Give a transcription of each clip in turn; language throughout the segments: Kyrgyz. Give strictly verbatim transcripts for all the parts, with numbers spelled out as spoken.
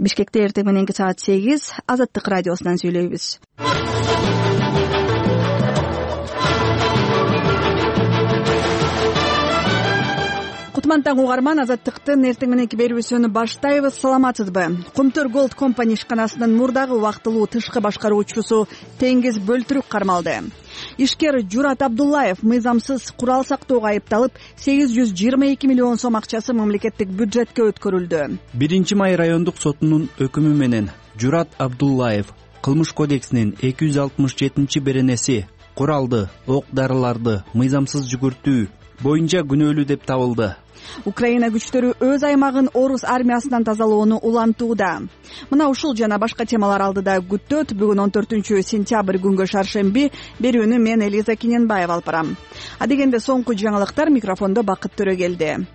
Бишкекте эртең мененки саат сегиз Азаттык радиосунан сүйлөйбүз. Кутман таң угарман, Азаттыктын эртең мененки берүүсүн баштайбыз. Саламатсызбы? Кумтөр Голд компания ишканасынын мурдагы убактылуу тышкы башкаруучусу Теңиз Бөлтүрүк кармалды. Ишкер Журат Абдуллаев мыйзамсыз курал сактоого айыпталып, сегиз жүз жыйырма эки миллион сом акчасы мамлекеттик бюджетке өткөрүлдү. биринчи май райондук сотунун өкүмү менен Журат Абдуллаев Кылмыш кодексинин эки жүз алтымыш жетинчи беренеси куралды, ок-дарыларды мыйзамсыз жүгүртүү боюнча күнөөлүү деп табылды. Украина күчтөрү өз аймагын орус армиясынан тазалоону улантууда. Мына ушул жана башка темалар алдыда күттөт. Бүгүн он төртүнчү сентябрь күнгө шаршемби. Берүүнү мен Элиза Киненбаева алып барам. Адегенде соңку жаңылыктар, микрофондо Бакыт Төрөгелди.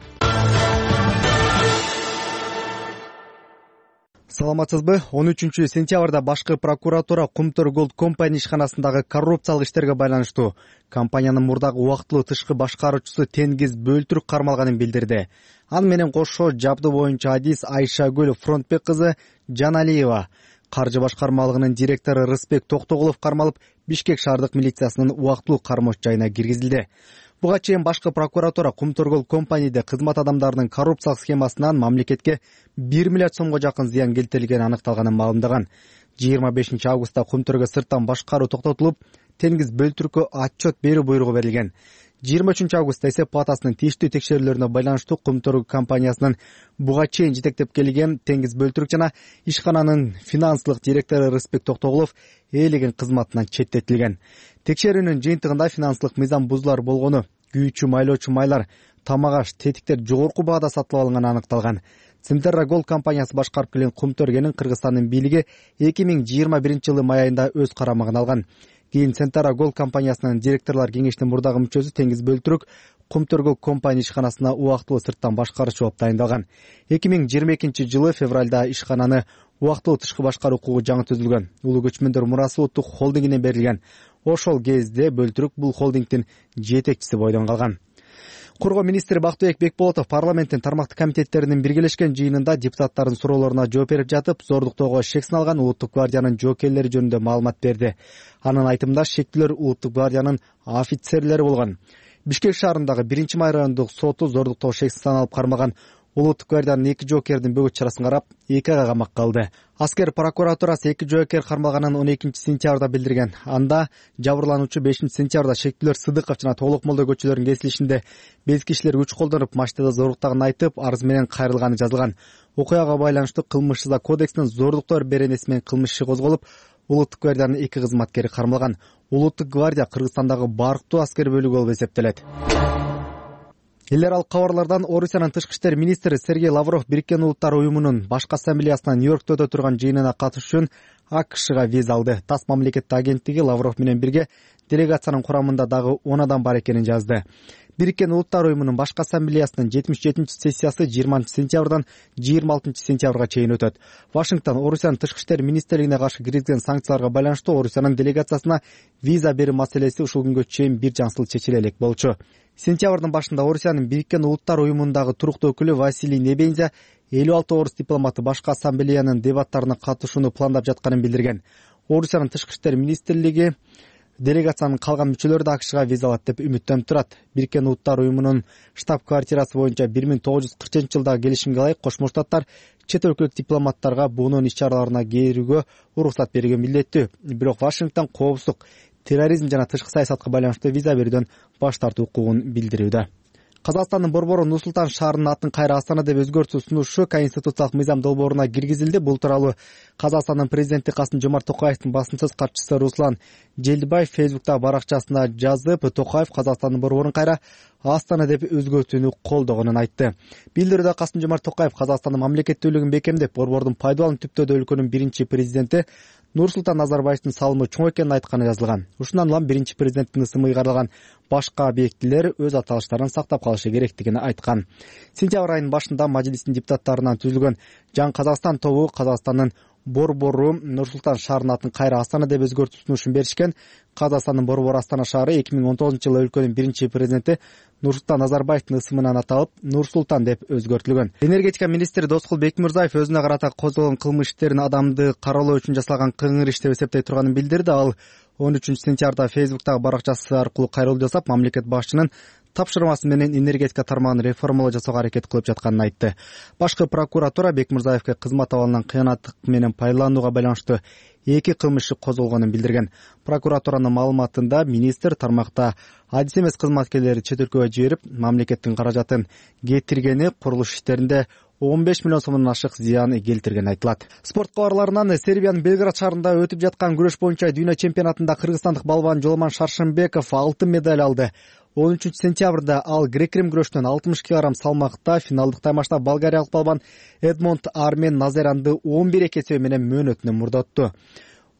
Саламатсызбы? он үчүнчү сентябрда башкы прокуратура Кумтөр Голд компания ишканасындагы коррупциялык иштерге байланыштуу компаниянын мурдагы убактылуу тышкы башкаруучусу Теңиз Бөлтүрүк кармалганын билдирди. Аны менен кошо жабдуу боюнча адис Айшагүл Фронтбек кызы Жаналиева, каржы башкармалыгынын директору Рыспек Токтогулов кармалып, Бишкек шаардык милициясынын убактылуу кармош жайына киргизилди. Буга чейин башкы прокуратура Кумтөр Голд компанияда кызмат адамдарынын коррупциялык схемасынан мамлекетке бир миллиард сомго жакын зыян келтирилгени аныкталганын маалымдаган. жыйырма бешинчи августта Кумтөргө сырттан башкаруу токтотулуп, Теңиз Бөлтүрүккө отчет берүү буйругу берилген. жыйырма үчүнчү августта эсеп палатасынын тийиштүү текшерүүлөрүнө байланыштуу Кумтөр компаниясынын буга чейин жетектеп келген Теңиз Бөлтүрүк жана ишкананын финансылык директору Рыспек Токтогулов ээлеген кызматынан четтетилген. Текшерүүнүн жыйынтыгында финансылык мыйзам бузуулар болгону, күйүүчү майлоочу майлар, тамак аш, тетиктер жогорку баада сатылып алынганы аныкталган. Центерра Голд компаниясы башкарып келген Кумтөргенин Кыргызстандын бийлиги эки миң жыйырма биринчи жылы май айында өз карамагына алган. Кийин Центерра Голд компаниясынын директорлор кеңешинин мурдагы мүчөсү Теңиз Бөлтүрүк Кумтөр Голд компания ишканасына убактылуу сырттан башкаруучу болуп тайындалган. эки миң жыйырма экинчи жылы февралда ишкананы убактылуу тышкы башкаруу укугу жаңы түзүлгөн. Улуу көчмөндөр мурасы улуттук холдингине берилген. Ошол кезде Бөлтүрүк бул холдингдин жетекчиси бойдон калган. Коргоо министри Бактыбек Бекболотов парламенттин тармактык комитеттеринин биргелешкен жыйынында депутаттардын суроолоруна жооп берип жатып, зордуктоого шек салган Улуттук гвардиянын жоокерлери жөнүндө маалымат берди. Анын айтымында шектүүлөр Улуттук гвардиянын офицерлери болгон. Бишкек шаарындагы биринчи май райондук соту зордуктоо шексизден алып кармаган Улуттук гвардиянын эки жоокердин бөгөт чарасын карап, эки айга камакка алды. Аскер прокуратурасы эки жоокер кармалганын он экинчи сентябрда билдирген. Анда жабырлануучу бешинчи сентябрда Шектүүлөр Сыдыков жана Толук Молдо көчөлөрүнүн кесилишинде без кишилер күч колдонуп, машинада зордуктаган айтып, арыз менен кайрылганы жазылган. Окуяга байланыштуу кылмыш жаза кодексинин зордуктор беренеси менен кылмыш иши козголуп, Улуттук гвардиянын эки кызматкери кармалган. Улуттук гвардия Кыргызстандагы барктуу аскер бөлүгү болуп эсептелет. Эл аралык кабарлардан Орусиянын тышкы иштер министри Сергей Лавров Бириккен Улуттар уюмунун башкы ассамблеясына Нью-Йоркто өтө турган жыйынына катышуу үчүн АКШга виза алды. ТАСС мамлекеттик агенттиги Лавров менен бирге делегациянын курамында дагы он адам бар экенин жазды. Бириккен Улуттар уюмунун башкы ассамблеясынын жетимиш жетинчи сессиясы жыйырманчы сентябрдан жыйырма алтынчы сентябрга чейин өтөт. Вашингтон Орусиянын тышкы иштер министрлигине каршы киргизген санкцияларга байланыштуу Орусиянын делегациясына виза берүү маселеси ушул күнгө чейин бир жансыл чечиле элек болчу. Сентябрдын башында Орусиянын Бириккен Улуттар уюмундагы туруктуу өкүлү Василий Небензя элүү алты орус дипломаты башкы ассамблеянын дебаттарына катышууну пландап жатканын билдирген. Орусиянын тышкы иштер министрлиги делегациянын калган мүчөлөрү да АКШга виза алат деп үмүттөнүп турат. Бириккен Улуттар уюмунун штаб-квартирасы боюнча бир миң тогуз жүз кыркынчы жылдагы келишимге ылайык Кошмо Штаттар чет өлкөлүк дипломаттарга буунун иш-чараларына кирүүгө уруксат берген милдеттүү. Бирок Вашингтон коопсуздук, терроризм жана тышкы саясатка байланыштуу виза берүүдөн баш тартуу укугун билдирүүдө. Казакстандын борбору Нур-Султан шаарынын атын кайра Астана деп өзгөртүү сунушу Конституциялык мыйзам долбооруна киргизилди. Бул тууралуу Казакстандын президенти Касым-Жомарт Токаевдин басымсыз катчысы Руслан Желдибаев Фейсбуктагы баракчасына жазып, Токаев Казакстандын борборун кайра Астана деп өзгөртүүнү колдогонун айтты. Билдирүүдө Касым-Жомарт Токаев Казакстандын мамлекеттүүлүгүн бекемдеп, борбордун пайдалануу түптөдө өлкөнүн биринчи президенти Нурсултан Назарбаевдин салымы чоң экенин айтканы жазылган. Ушундан улам биринчи президенттин ысымы ыйгарылган башка объектилер өз аталыштарын сактап калышы керектигин айткан. Сентябрь айынын башында мажлистин депутаттарынан түзүлгөн Жаңы Казакстан тобу Казакстандын Борбору Нур-Султан шаарынын атын кайра Астана деп өзгөртүү сунушун беришкен. Казакстандын Борбор Астана шаары эки миң он тогузунчу жылы өлкөнүн биринчи президенти Нурсултан Назарбаевдин ысымынан аталып, Нур-Султан деп өзгөртүлгөн. Энергетика министри Доскул Бекмурзаев өзүнө карата козголгон кылмыш иштерин адамды каралоо үчүн жасалган кыңыр иш деп эсептей турганын билдирди. Ал он үчүнчү сентябрда Фейсбуктагы баракчасы аркылуу кайрылуу жасап, мамлекет башчынын тапшырмасы менен энергетика тармагын реформалоо жасоого аракет кылып жатканын айтты. Башкы прокуратура Бекмурзаевге кызмат абалынан кыянаттык менен пайдаланууга байланыштуу эки кылмыш иши козголгонун билдирген. Прокуратуранын маалыматында министр тармакта адис эмес кызматкерлерди чет өлкөгө жиберип, мамлекеттин каражатын кетиргени, курулуш иштеринде он беш миллион сомдон ашык зыян келтиргени айтылат. Спорт кабарларынан Сербиянын Белград шаарында өтүп жаткан күрөш боюнча дүйнө чемпионатында кыргызстандык балбан Жолман Шаршембеков алтын медаль алды. он үчүнчү сентябрда ал грек-рим күрөштөн алтымыш килограмм салмакта финалдык таймашта болгариялык балбан Эдмонд Армен Назеранды он бир эки эсеби менен мөөнөтүнөн мурдатту.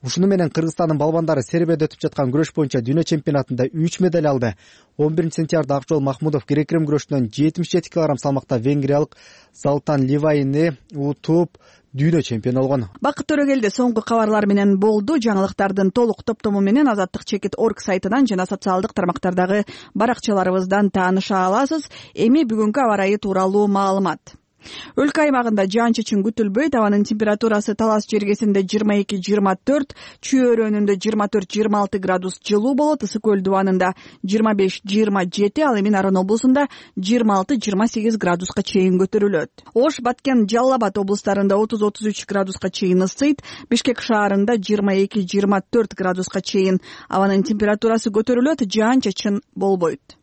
Ушуну менен Кыргызстандын балбандары Сербияда өтүп жаткан күрөш боюнча дүйнө чемпионатында үч медаль алды. он биринчи сентябрда Акжол Махмудов грек-рим күрөштөн жетимиш жети килограмм салмакта венгриялык Залтан Ливайни утуп дүйнө чемпиону болгон. Бакыт Төрөгелди соңку кабарлар менен болду. Жаңылыктардын толук топтому менен Азаттык чекит орг сайтынан жана социалдык тармактардагы баракчаларыбыздан тааныша аласыз. Эми бүгүнкү аба ырайы тууралуу маалымат. Өлкө аймагында жаан-чачын күтүлбөйт. Абанын температурасы Талас жергесинде жыйырма эки жыйырма төрт, Чүй өрөөнүндө жыйырма төрт жыйырма алты градус жылуу болот. Ысык көл дубанында жыйырма беш жыйырма жети, ал эми Нарын облусунда жыйырма алты жыйырма сегиз градуска чейин көтөрүлөт. Ош, Баткен, Жалал Абад облустарында отуз отуз үч градуска чейин ысыйт. Бишкек шаарында жыйырма эки жыйырма төрт градуска чейин абанын температурасы көтөрүлөт. Жаан-чачын болбойт.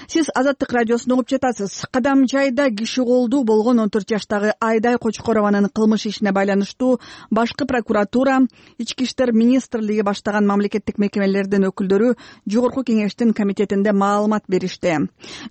Сиз Азаттык радиосун угуп жатасыз. Кадам жайда киши колдуу болгон он төрт жаштагы Айдай Кочкорованын кылмыш ишине байланыштуу башкы прокуратура, Ички иштер министрлиги баштаган мамлекеттик мекемелердин өкүлдөрү Жогорку кеңештин комитетинде маалымат беришти.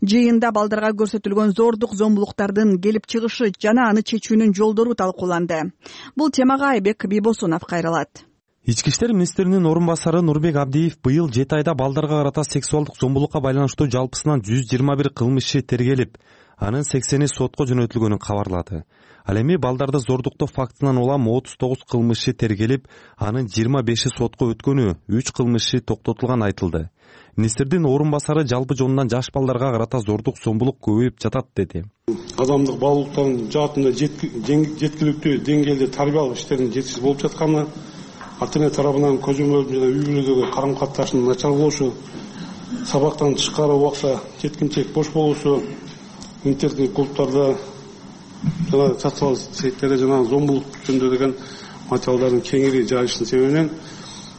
Жыйында балдарга көрсөтүлгөн зордук зомбулуктардын келип чыгышы жана аны чечүүнүн жолдору талкууланды. Бул темага Айбек Бийбосунов кайрылат. Ички иштер министринин орун басары Нурбек Абдиев быйыл жети айда балдарга карата сексуалдык зомбулукка байланыштуу жалпысынан жүз жыйырма бир кылмыш иши тергелип, анын сексени сотко жөнөтүлгөнүн кабарлады. Ал эми балдарды зордуктоо фактынан улам отуз тогуз кылмыш иши тергелип, анын жыйырма беши сотко өткөнү, үч кылмыш иши токтотулганы айтылды. Министрдин орун басары жалпы жонунан жаш балдарга карата зордук зомбулук көбөйүп жатат деди. Адамдык баалуулуктардын жаатында жеткиликтүү деңгээлде тарбиялык иштердин жетишсиз болуп жатканы, ата-эне тарабынан көзөмөлдүү жана үй бүлөдөгү карым катнашынын начар болушу, сабактан тышкары убакта жеткинчек бош болушу, интернет клубтарда жана социалдык сеттерде жана зомбулук жөнүндө деген материалдардын кеңири жайылышынын себебинен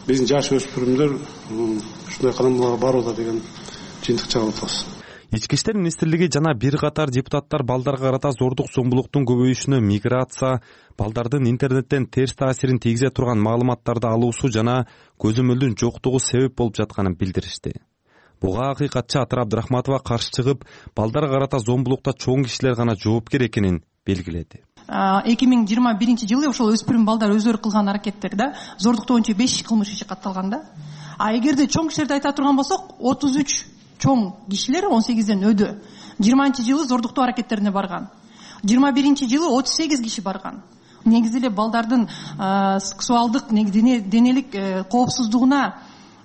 биздин жаш өспүрүмдөр ушундай кадамдарга барууда деген жыйынтык чыгарып атабыз. Ички иштер министрлиги жана бир катар депутаттар балдарга карата зордук зомбулуктун көбөйүшүнө миграция, балдардын интернеттен терс таасирин тийгизе турган маалыматтарды алуусу жана көзөмөлдүн жоктугу себеп болуп жатканын билдиришти. Буга акыйкатчы Атыр Абдрахматова каршы чыгып, балдарга карата зомбулукта чоң кишилер гана жоопкер экенин белгиледи. эки миң жыйырма биринчи жылы ошол өспүрүм балдар өздөрү кылган аракеттерде зордуктоо боюнча беш кылмыш иши катталган да. А эгерде чоң кишилерди айта турган болсок, отуз үч чоң кишилер он сегизден өдү. жыйырманчы жылы зордуктоо аракеттерине барган. жыйырма биринчи жылы отуз сегиз киши барган. Негизи эле балдардын сексуалдык денелик коопсуздугуна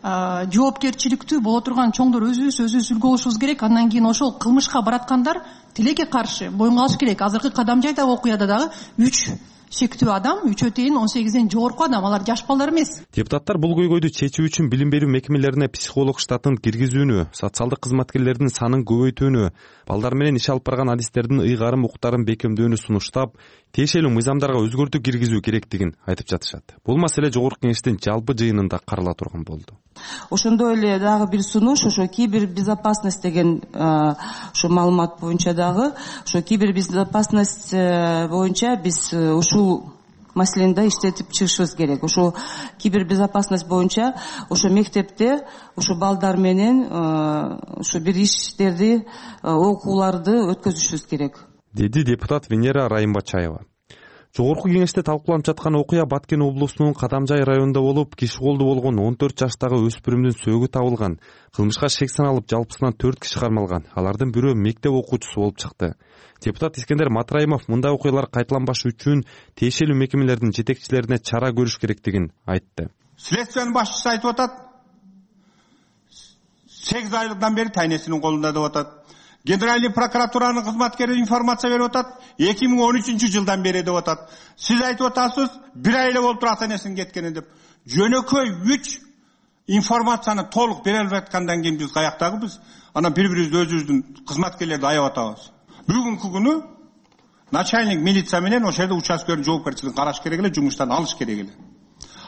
жоопкерчиликтүү боло турган чоңдор өзүбүз өзүбүз үлгү болушубуз керек. Андан кийин ошол кылмышка бараткандар тилекке каршы боюнга алыш керек. Азыркы кадам жайдагы окуяда дагы үч шектүү адам, үчөө тейин он сегизден жогорку адам, алар жаш балдар эмес. Депутаттар бул көйгөйдү чечүү үчүн билим берүү мекемелерине психолог штатын киргизүүнү, социалдык кызматкерлердин санын көбөйтүүнү, балдар менен иш алып барган адистердин ыйгарым укуктарын бекемдөөнү сунуштап, тиешелүү мыйзамдарга өзгөртүү киргизүү керектигин айтып жатышат. Бул маселе Жогорку кеңештин жалпы жыйынында карала турган болду. Ошондой эле дагы бир сунуш, ошо кибербезопасность деген ошо маалымат боюнча дагы, ошо кибербезопасность боюнча биз ушул маселени да иштетип чыгышыбыз керек. Ошо кибербезопасность боюнча ошо мектепте ошо балдар менен ошо бир иштерди, окууларды өткөзүшүбүз керек, деди депутат Венера Райымбачаева. Жогорку кеңеште талкууланып жаткан окуя Баткен облусунун Кадамжай районунда болуп, киши колду болгон он төрт жаштагы өспүрүмдүн сөөгү табылган. Кылмышка шек саналып, жалпысынан төрт киши кармалган. Алардын бирөө мектеп окуучусу болуп чыкты. Депутат Искендер Матраимов мындай окуялар кайталанбаш үчүн тиешелүү мекемелердин жетекчилерине чара көрүш керектигин айтты. Следственный башчысы айтып атат, сегиз айлыктан бери тайнесинин колунда деп атат. Генеральный прокуратуранын кызматкери информация берип атат, эки миң он үчүнчү жылдан бери деп атат. Сиз айтып атасыз, бир ай эле болуптур ата энесинин кеткени деп. Жөнөкөй үч информацияны толук бере албай аткандан кийин биз каяктагыбыз? Анан бири-бирибизди өзүбүздүн кызматкерлерди аяп атабыз. Бүгүнкү күнү начальник милиция менен ошол жерде участкөнүн жоопкерчилигин караш керек эле, жумуштан алыш керек эле.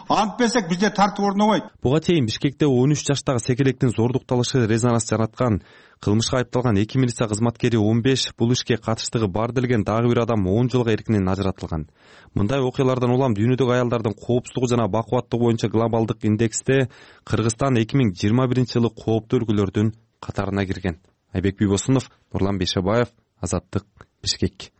Антпесек бизде тартып орнобойт. Буга чейин Бишкекте он үч жаштагы секелектин зордукталышы резонанс жараткан. Кылмышка айыпталган эки милиция кызматкери он беш, бул ишке катыштыгы бар делген дагы бир адам он жылга эркинен ажыратылган. Мындай окуялардан улам дүйнөдөгү аялдардын коопсуздугу жана бакубаттыгы боюнча глобалдык индексте Кыргызстан эки миң жыйырма биринчи жылы кооптуу өлкөлөрдүн катарына кирген. Айбек Бийбосунов, Нурлан Бейшебаев, Азаттык, Бишкек.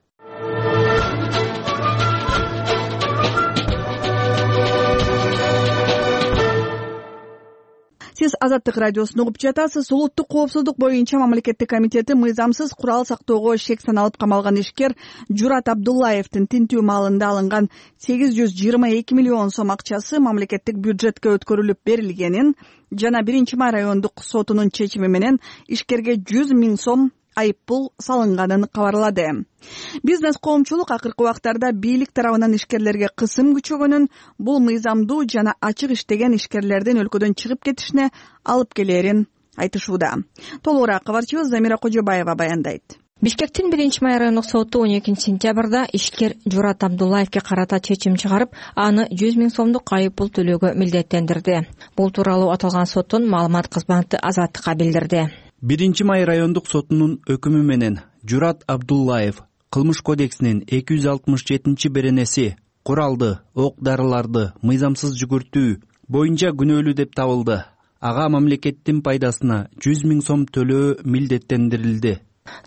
Сиз Азаттык радиосун угуп жатасыз. Улуттук коопсуздук боюнча мамлекеттик комитети мыйзамсыз курал сактоого шек саналып камалган ишкер Журат Абдуллаевдин тинтүү маалында алынган сегиз жүз жыйырма эки миллион сом акчасы мамлекеттик бюджетке өткөрүлүп берилгенин жана биринчи май райондук сотунун чечими менен ишкерге жүз миң сом айыппул салынганын кабарлады. Бизнес коомчулук акыркы убактарда бийлик тарабынан ишкерлерге кысым күчөгөнүн, бул мыйзамдуу жана ачык иштеген ишкерлердин өлкөдөн чыгып кетишине алып келерин айтышууда. Толугураак кабарчыбыз Замира Кожобаева баяндайт. Бишкектин биринчи май райондук соту он экинчи сентябрда ишкер Журат Абдуллаевге карата чечим чыгарып, аны жүз миң сомдук айыппул төлөөгө милдеттендирди. Бул тууралуу аталган соттун маалымат кызматы Азаттыкка билдирди. биринчи май райондук сотунун өкүмү менен Журат Абдуллаев Кылмыш кодексинин эки жүз алтымыш жетинчи беренеси куралды, ок-дарыларды мыйзамсыз жүгүртүү боюнча күнөөлүү деп табылды. Ага мамлекеттин пайдасына жүз миң сом төлөө милдеттендирилди.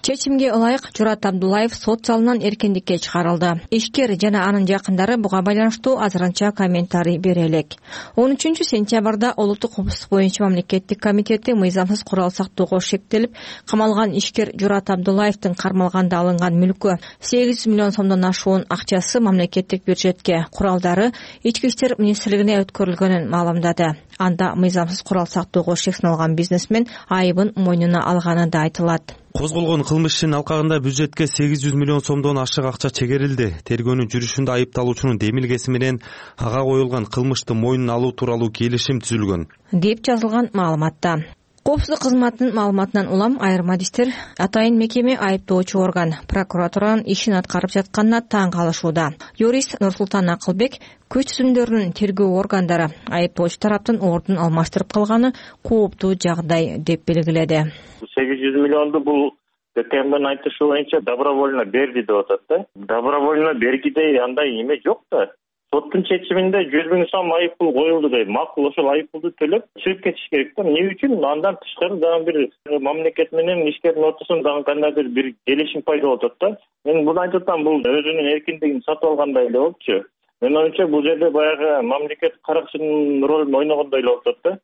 Чечимге ылайык Журат Абдуллаев сот залынан эркиндикке чыгарылды. Ишкер жана анын жакындары буга байланыштуу азырынча комментарий бере элек. он үчүнчү сентябрда Улуттук коопсуздук боюнча мамлекеттик комитети мыйзамсыз курал сактоого шектелип камалган ишкер Журат Абдуллаевдин кармалганда алынган мүлкү сегиз жүз миллион сомдон ашуун акчасы мамлекеттик бюджетке, куралдары ички иштер министрлигине өткөрүлгөнүн маалымдады. Анда мыйзамсыз курал сактоого шек саналган бизнесмен айыбын мойнуна алганы да айтылат. Козголгон кылмыш ишинин алкагында бюджетке сегиз жүз миллион сомдон ашык акча чегерилди. Тергөөнүн жүрүшүндө айыпталуучунун демилгеси менен ага коюлган кылмышты мойнуна алуу тууралуу келишим түзүлгөн, деп жазылган маалыматта. Коопсуздук кызматынын маалыматынан улам айырма адистер атайын мекеме айыптоочу орган прокуратуранын ишин аткарып жатканына таң калышууда. Юрист Нурсултан Акылбек күч түзүмдөрүнүн тергөө органдары айыптоочу тараптын ордун алмаштырып калганы кооптуу жагдай деп белгиледи. сегиз жүз миллионду бул КМдин айтышы боюнча добровольно берди деп атат да. Добровольно бергидей андай эме жок да. Соттун чечиминде жүз миң сом айыппул коюлду дейт. Макул ошол айыппулду төлөп чыгып кетиш керек да. Эмне үчүн? Андан тышкары дагы бир мамлекет менен ишкердин ортосунда дагы кандайдыр бир келишим пайда болуп атат да. Мен буну айтып атам, бул өзүнүн эркиндигин сатып алгандай эле болчу. Мен оюмча бул жерде баягы мамлекет каракчынын ролун ойногондой эле болуп атат да.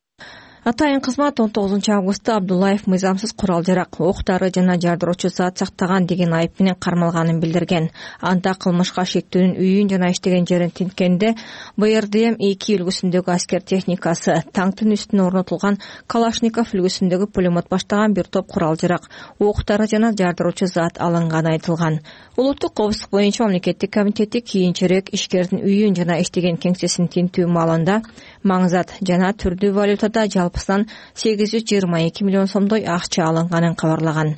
Атайын кызмат он тогузунчу августта Абдуллаев мыйзамсыз курал-жарак, ок-дары жана жардыруучу зат сактаган деген айып менен кармалганын билдирген. Анда кылмышка шектүүнүн үйүн жана иштеген жерин тинткенде Б Р Д М эки үлгүсүндөгү аскер техникасы, танктын үстүнө орнотулган Калашников үлгүсүндөгү пулемет баштаган бир топ курал-жарак, ок-дары жана жардыруучу зат алынганы айтылган. Улуттук коопсуздук боюнча мамлекеттик комитети кийинчерээк ишкердин үйүн жана иштеген кеңсесин тинтүү маалында маңзат жана түрдүү валютада жалпысынан сегиз жүз жыйырма эки миллион сомдой акча алынганын кабарлаган.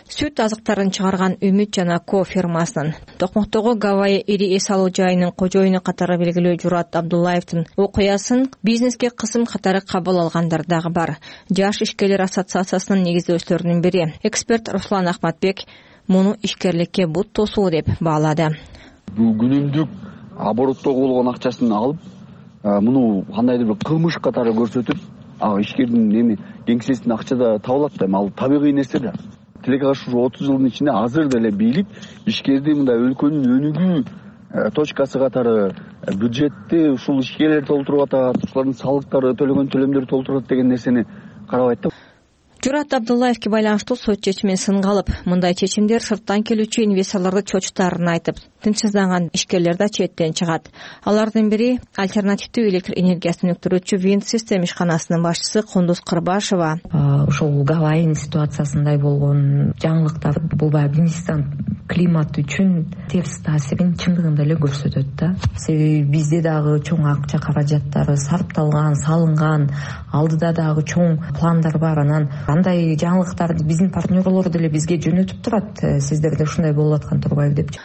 Сүт азыктарын чыгарган Үмүт жана Ко фирмасынын Токмоктогу Гавайи ири эс алуу жайынын кожоюну катары белгилүү Журат Абдуллаевдин окуясын бизнеске кысым катары кабыл алгандар дагы бар. Жаш ишкерлер ассоциациясынын негиздөөчүлөрүнүн бири эксперт Руслан Ахматбек муну ишкерликке бут тосуу деп баалады. Бул күнүмдүк обороттогу болгон акчасын алып, муну кандайдыр бир кылмыш катары көрсөтүп, ага ишкердин эми кеңсесинин акчада табылат да, ал табигый нерсе да. Тилекке каршы отуз жылдын ичинде азыр деле бийлик ишкерди мындай өлкөнүн өнүгүү точкасы катары бюджетти ушул ишкерлер толтуруп атат, ушулардын салыктары, төлөгөн төлөмдөрү толтуруп атат деген нерсени карабайт да. Журат Абдуллаевке байланыштуу сот чечимин сынга алып, мындай чечимдер сырттан келүүчү инвесторлорду чочутаарын айтып, тынчсызданган ишкерлер да четтен чыгат. Алардын бири альтернативдүү электр энергиясын өктүрүүчү Wind System ишканасынын башчысы Кундуз Кырбашева. Ошол Гавайин ситуациясындай болгон жаңылыктар бул баягы бизнестен климат үчүн терс таасирин чындыгында эле көрсөтөт да. Себеби бизде дагы чоң акча каражаттары сарпталган, салынган, алдыда дагы чоң пландар бар. Анан андай жаңылыктарды биздин партнерлор деле бизге жөнөтүп турат. Сиздерде ушундай болуп аткан турбайбы деп.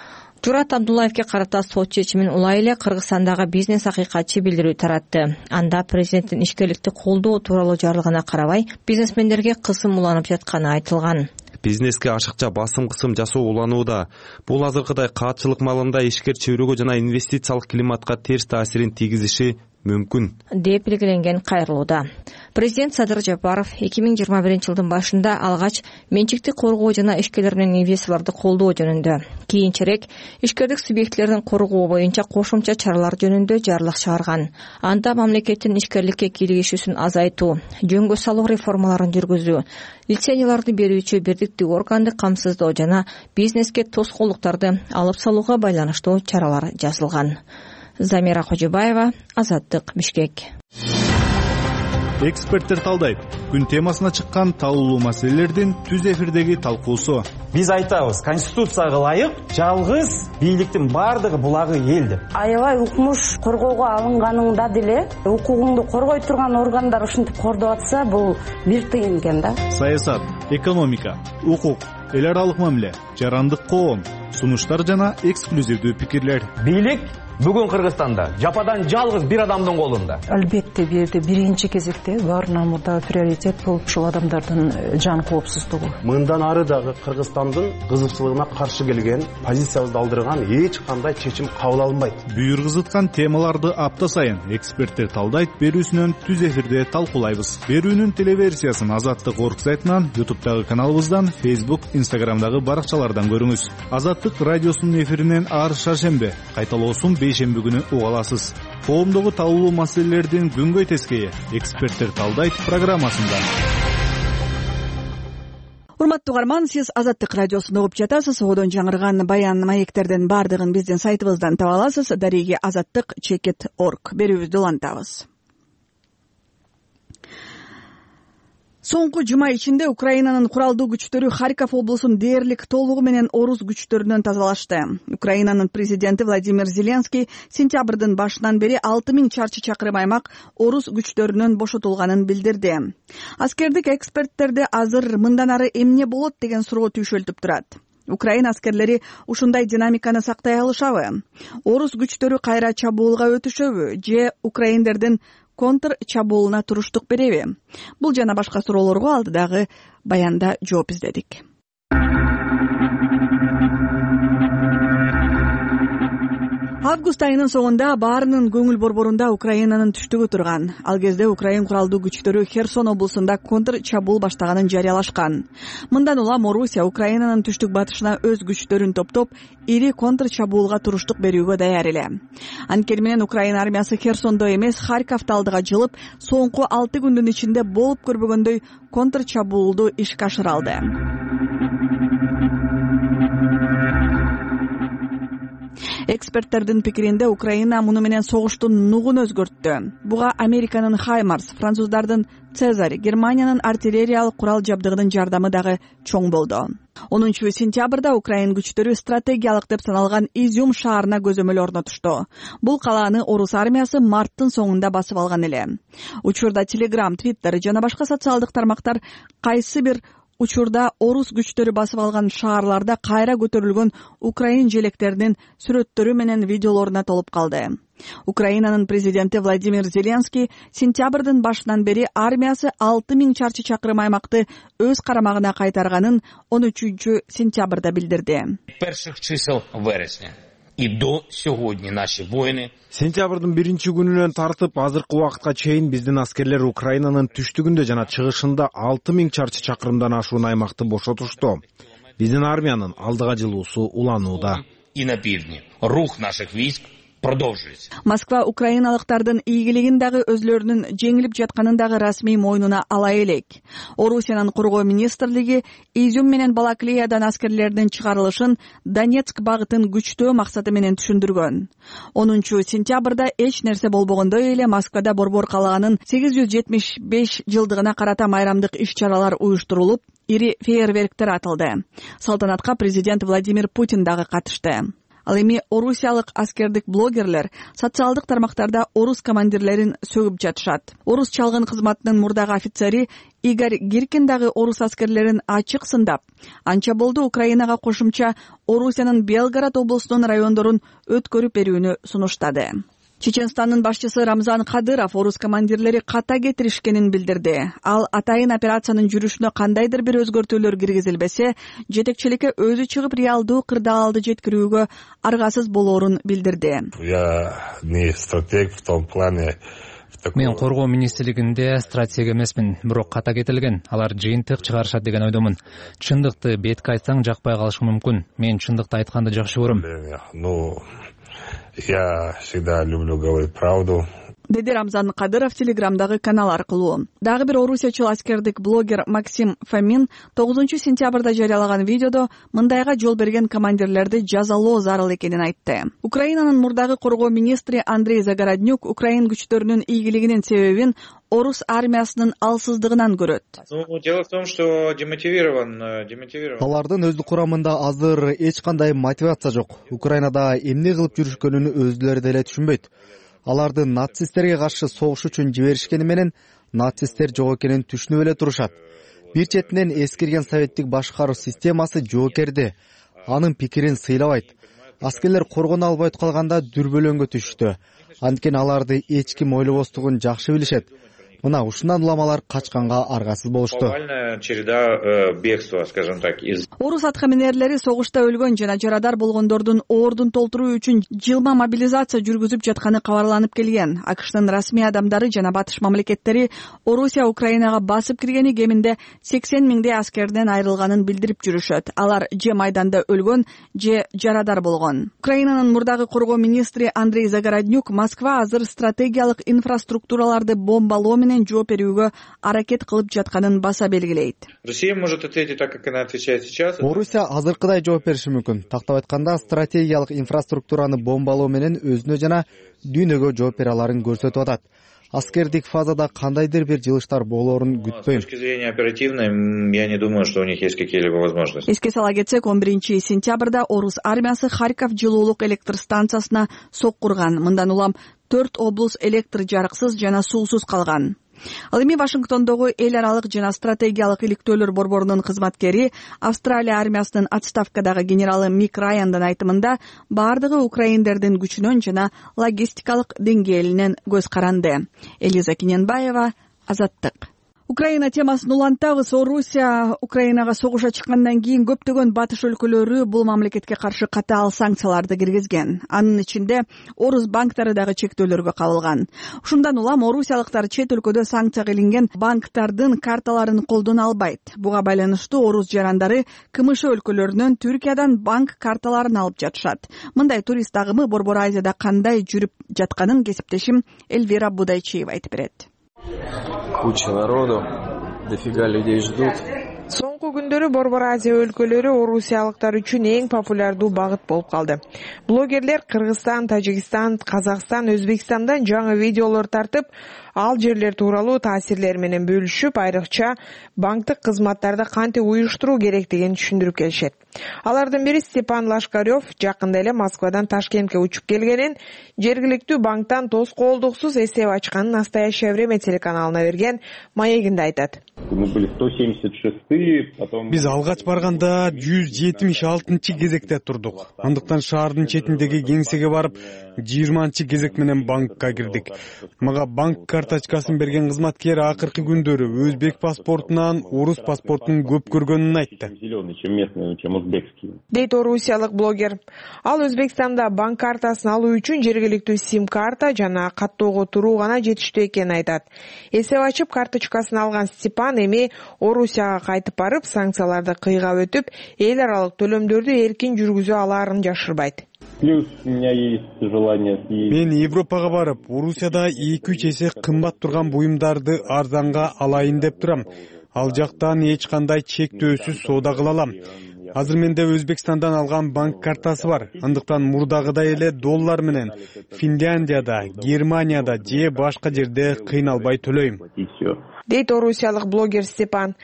Журат Абдуллаевке карата сот чечимин улай эле Кыргызстандагы бизнес акыйкатчы билдирүү таратты. Анда президенттин ишкерликти колдоо тууралуу жарлыгына карабай, бизнесмендерге кысым уланып жатканы айтылган. Бизнеске ашыкча басым кысым жасоо уланууда. Бул азыркыдай каатчылык маалында ишкер чөйрөгө жана инвестициялык климатка терс таасирин тийгизиши мүмкүн деп белгиленген кайрылууда. Президент Садыр Жапаров эки миң жыйырма биринчи жылдын башында алгач менчикти коргоо жана ишкерлер менен инвесторлорду колдоо жөнүндө, кийинчерээк ишкердик субъектилерин коргоо боюнча кошумча чаралар жөнүндө жарлык чыгарган. Анда мамлекеттин ишкерликке кийлигишүүсүн азайтуу, жөнгө салуу реформаларын жүргүзүү, лицензияларды берүүчү бирдиктүү органды камсыздоо жана бизнеске тоскоолдуктарды алып салууга байланыштуу чаралар жазылган. Замира Кожубаева, Азаттык, Бишкек. Эксперттер талдайт. Күн темасына чыккан талуулуу маселелердин түз эфирдеги талкуусу. Биз айтабыз, Конституцияга ылайык жалгыз бийликтин бардыгы булагы эл деп. Аябай укмуш коргоого алынганыңда деле укугуңду коргой турган органдар ушинтип кордоп атса, бул бир тыйын экен да. Саясат, экономика, укук, эл аралык мамиле, жарандык коом, сунуштар жана эксклюзивдүү пикирлер. Бийлик бүгүн Кыргызстанда жападан жалгыз бир адамдын колунда. Албетте бул жерде биринчи кезекте баарынан мурда приоритет бул ушул адамдардын жан коопсуздугу. Мындан ары дагы Кыргызстандын кызыкчылыгына каршы келген, позициябызды алдырган эч кандай чечим кабыл алынбайт. Бүйүр кызыткан темаларды апта сайын эксперттер талдайт берүүсүнөн түз эфирде талкуулайбыз. Берүүнүн телеверсиясын Азаттык орг сайтынан, ютубтагы каналыбыздан, Facebook, Instagramдагы баракчалардан көрүңүз. Азаттык радиосунун эфиринен ар шаршембе, кайталоосун бейшемби күнү уга аласыз. Коомдогу талуулуу маселелердин күнгөй тескейи эксперттер талдайт программасында. Урматтуу угарман, сиз Азаттык радиосун угуп жатасыз. Одон жаңырган баян маектердин бардыгын биздин сайтыбыздан таба аласыз. Дареги азаттык чекит точка орг берүүбүздү улантабыз. Соңку жума ичинде Украинанын куралдуу күчтөрү Харьков облусун дээрлик толугу менен орус күчтөрүнөн тазалашты. Украинанын президенти Владимир Зеленский сентябрдын башынан бери алты миң чарчы чакырым аймак орус күчтөрүнөн бошотулганын билдирди. Аскердик эксперттерди азыр мындан ары эмне болот деген суроо түйшөлтүп турат. Украина аскерлери ушундай динамиканы сактай алышабы? Орус күчтөрү кайра чабуулга өтүшөбү же украиндердин контр чабуулуна туруштук береби? Бул жана башка суроолорго алдыдагы баянда жооп издедик. Август айынын соңунда баарынын көңүл борборунда Украинанын түштүгү турган. Ал кезде Украин куралдуу күчтөрү Херсон облусунда контр чабуул баштаганын жарыялашкан. Мындан улам Орусия Украинанын түштүк батышына өз күчтөрүн топтоп, ири контр чабуулга туруштук берүүгө даяр эле. Анткени менен Украина армиясы Херсондо эмес, Харьковдо алдыга жылып, соңку алты күндүн ичинде болуп көрбөгөндөй контр чабуулду ишке ашыра алды. Эксперттердин пикиринде Украина муну менен согуштун нугун өзгөрттү. Буга Американын Хаймарс, француздардын Цезарь, Германиянын артиллериялык курал жабдыгынын жардамы дагы чоң болду. онунчу сентябрда Украин күчтөрү стратегиялык деп саналган Изюм шаарына көзөмөл орнотушту. Бул калааны орус армиясы марттын соңунда басып алган эле. Учурда Telegram, Twitter жана башка социалдык тармактар кайсы бир учурда орус күчтөрү басып алган шаарларда кайра көтөрүлгөн украин желектеринин сүрөттөрү менен видеолоруна толуп калды. Украинанын президенти Владимир Зеленский сентябрдын башынан бери армиясы алты миң чарчы чакырым аймакты өз карамагына кайтарганын он үчүнчү сентябрда билдирди. Перших чисел вересня и до сегодня наши воины сентябрдын биринчи күнүнөн тартып азыркы убакытка чейин биздин аскерлер Украинанын түштүгүндө жана чыгышында алты миң чарчы чакырымдан ашуун аймакты бошотушту. Биздин армиянын алдыга жылуусу уланууда. и на пивдне. Рух наших войск продолжились. Москва украиналыктардын ийгилигин дагы өзлөрүнүн жеңилип жатканын дагы расмий мойнуна ала элек. Орусиянын коргоо министрлиги Изюм менен Балаклеядан аскерлердин чыгарылышын Донецк багытын күчтөө максаты менен түшүндүргөн. онунчу сентябрда эч нерсе болбогондой эле Москвада борбор калаганын сегиз жүз жетимиш беш жылдыгына карата майрамдык иш-чаралар уюштурулуп, ири фейерверктер атылды. Салтанатка президент Владимир Путин дагы катышты. Ал эми орусиялык аскердик блогерлер социалдык тармактарда орус командирлерин сөгүп жатышат. Орус чалгын кызматынын мурдагы офицери Игорь Гиркин дагы орус аскерлерин ачык сындап, анча болду Украинага кошумча Орусиянын Белгород облусунун райондорун өткөрүп берүүнү сунуштады. Чеченстандын башчысы Рамзан Кадыров орус командирлери ката кетиришкенин билдирди. Ал атайын операциянын жүрүшүнө кандайдыр бир өзгөртүүлөр киргизилбесе, жетекчиликке өзү чыгып реалдуу кырдаалды жеткирүүгө аргасыз болоорун билдирди. Я не стратег в том плане. Мен коргоо министрлигинде стратег эмесмин, бирок ката кетилген. Алар жыйынтык чыгарышат деген ойдомун. Чындыкты бетке айтсаң жакпай калышы мүмкүн. Мен чындыкты айтканды жакшы көрөм. Ну, я всегда люблю говорить правду. Деди Рамзан Кадыров телеграмдагы канал аркылуу. Дагы бир орусиячыл аскердик блогер Максим Фомин тогузунчу сентябрда жарыялаган видеодо мындайга жол берген командирлерди жазалоо зарыл экенин айтты. Украинанын мурдагы коргоо министри Андрей Загороднюк украин күчтөрүнүн ийгилигинин себебин орус армиясынын алсыздыгынан көрөт. Ну, дело в том, что демотивирован, демотивирован. Алардын өздүк курамында азыр эч кандай мотивация жок. Украинада эмне кылып жүрүшкөнүн өзүлөрү деле түшүнбөйт. Аларды нацисттерге каршы согуш үчүн жиберишкени менен нацисттер жок экенин түшүнүп эле турушат. Бир четинен эскирген советтик башкаруу системасы жоокерди, анын пикирин сыйлабайт. Аскерлер коргоно албай калганда дүрбөлөңгө түштү. Анткени аларды эч ким ойлобостугун жакшы билишет. Мына ушундан улам алар качканга аргасыз болушту. Повальная череда бегства, скажем так, из. Орус аткаминерлери согушта өлгөн жана жарадар болгондордун ордун толтуруу үчүн жылма мобилизация жүргүзүп жатканы кабарланып келген. АКШнын расмий адамдары жана батыш мамлекеттери Орусия Украинага басып киргени кеминде сексен миңдей аскерден айрылганын билдирип жүрүшөт. Алар же майданда өлгөн, же жарадар болгон. Украинанын мурдагы коргоо министри Андрей Загороднюк Москва азыр стратегиялык инфраструктураларды бомбалоо менен жооп берүүгө аракет кылып жатканын баса белгилейт. Россия может ответить так, как она отвечает сейчас. Орусия азыркыдай жооп бериши мүмкүн. Тактап айтканда, стратегиялык инфраструктураны бомбалоо менен өзүнө жана дүйнөгө жооп бере аларын көрсөтүп атат. Аскердик фазада кандайдыр бир жылыштар болоорун күтпөйм. С точки зрения оперативной, я не думаю, что у них есть какие-либо возможности. Эске сала кетсек, он биринчи сентябрда орус армиясы Харьков жылуулук электр станциясына соккурган. Мындан улам төрт облус электр жарыксыз жана суусуз калган. Ал эми Вашингтондогу эл аралык жана стратегиялык иликтөөлөр борборунун кызматкери Австралия армиясынын отставкадагы генералы Мик Райандын айтымында баардыгы украиндердин күчүнөн жана логистикалык деңгээлинен көз каранды. Элиза Киненбаева, Азаттык. Украина темасын улантабыз. Орусия Украинага согуша чыккандан кийин көптөгөн батыш өлкөлөрү бул мамлекетке каршы катаал санкцияларды киргизген. Анын ичинде орус банктары дагы чектөөлөргө кабылган. Ушундан улам орусиялыктар чет өлкөдө санкция кылынган банктардын карталарын колдоно албайт. Буга байланыштуу орус жарандары КМШ өлкөлөрүнөн Түркиядан банк карталарын алып жатышат. Мындай турист агымы Борбор Азияда кандай жүрүп жатканын кесиптешим Эльвира Будайчиева айтып берет. Куча народу, дофига людей ждут. Соңку күндөрү Борбор Азия өлкөлөрү орусиялыктар үчүн эң популярдуу багыт болуп калды. Блогерлер Кыргызстан, Тажикстан, Казакстан, Өзбекстандан жаңы видеолор тартып, ал жерлер тууралуу таасирлер менен бөлүшүп, айрыкча банктык кызматтарды кантип уюштуруу керектигин түшүндүрүп келишет. Алардын бири Степан Лашкарев жакында эле Москвадан Ташкентке учуп келгенин, жергиликтүү банктан тоскоолдуксуз эсеп ачканын «Настоящее время» телеканалына берген маегинде айтат. Биз алгач барганда жүз жетимиш алтынчы кезекте турдук. Андыктан шаардын четиндеги кеңсеге барып, жыйырманчы кезек менен банкка кирдик. Мага банк карточкасын берген кызматкер акыркы күндөрү өзбек паспортунан орус паспортун көп көргөнүн айтты, дейт орусиялык блогер. Ал Өзбекстанда банк картасын алуу үчүн жергиликтүү сим карта жана каттоого туруу гана жетиштүү экенин айтат. Эсеп ачып карточкасын алган Степан эми Орусияга кайтып барып, санкцияларды кыйгап өтүп, эл аралык төлөмдөрдү эркин жүргүзө алаарын жашырбайт. Мен Европага барып, Орусияда эки үч эсе кымбат турган буюмдарды арзанга алайын деп турам. Ал жактан эч кандай чектөөсүз соода кыла алам. Азыр менде Өзбекстандан алган банк картасы бар. Андыктан мурдагыдай эле доллар менен Финляндияда, Германияда же башка жерде кыйналбай төлөйм, дейт орусиялык блогер Степан.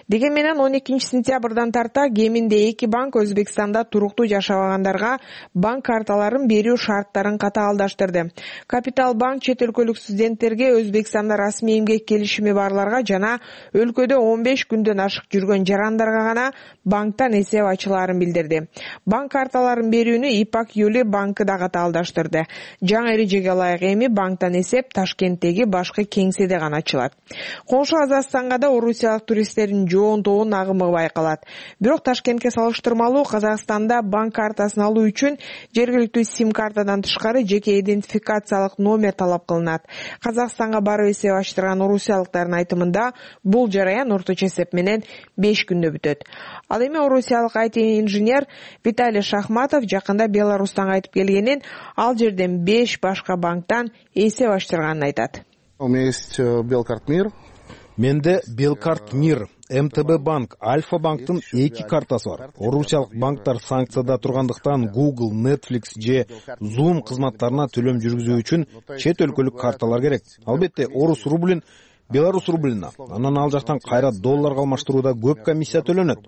Деген менен он экинчи сентябрдан тарта кеминде эки банк Өзбекстанда туруктуу жашабагандарга банк карталарын берүү шарттарын катаалдаштырды. Капитал банк чет өлкөлүк студенттерге Өзбекстанда расмий эмгек келишими барларга жана өлкөдө он беш күндөн ашык жүргөн жарандарга гана банктан эсеп ачылаарын билдирди. Банк карталарын берүүнү Ипак Юли банкы да катаалдаштырды. Жаңы эрежеге ылайык эми банктан эсеп Ташкенттеги башкы кеңседе гана ачылат. Коңшу Казакстанга да орусиялык туристтердин жоонтогун агымы байкалат. Бирок Ташкентке салыштырмалуу Казакстанда банк картасын алуу үчүн жергиликтүү сим картадан тышкары жеке идентификациялык номер талап кылынат. Казакстанга барып эсеп ачтырган орусиялыктардын айтымында бул жараян орточо эсеп менен беш күндө бүтөт. Ал эми орусиялык ай ти инженер Виталий Шахматов жакында Беларустан кайтып келгенин, ал жерден беш башка банктан эсеп ачтырганын айтат. У меня есть Белкарт Мир. Менде Белкарт Мир, эм тэ бэ банк, Альфа банктын эки картасы бар. Орусиялык банктар санкцияда тургандыктан Google, Netflix же Zoom кызматтарына төлөм жүргүзүү үчүн чет өлкөлүк карталар керек. Албетте, орус рублин Беларус рублина, анан ал жактан кайра долларга алмаштырууда көп комиссия төлөнөт.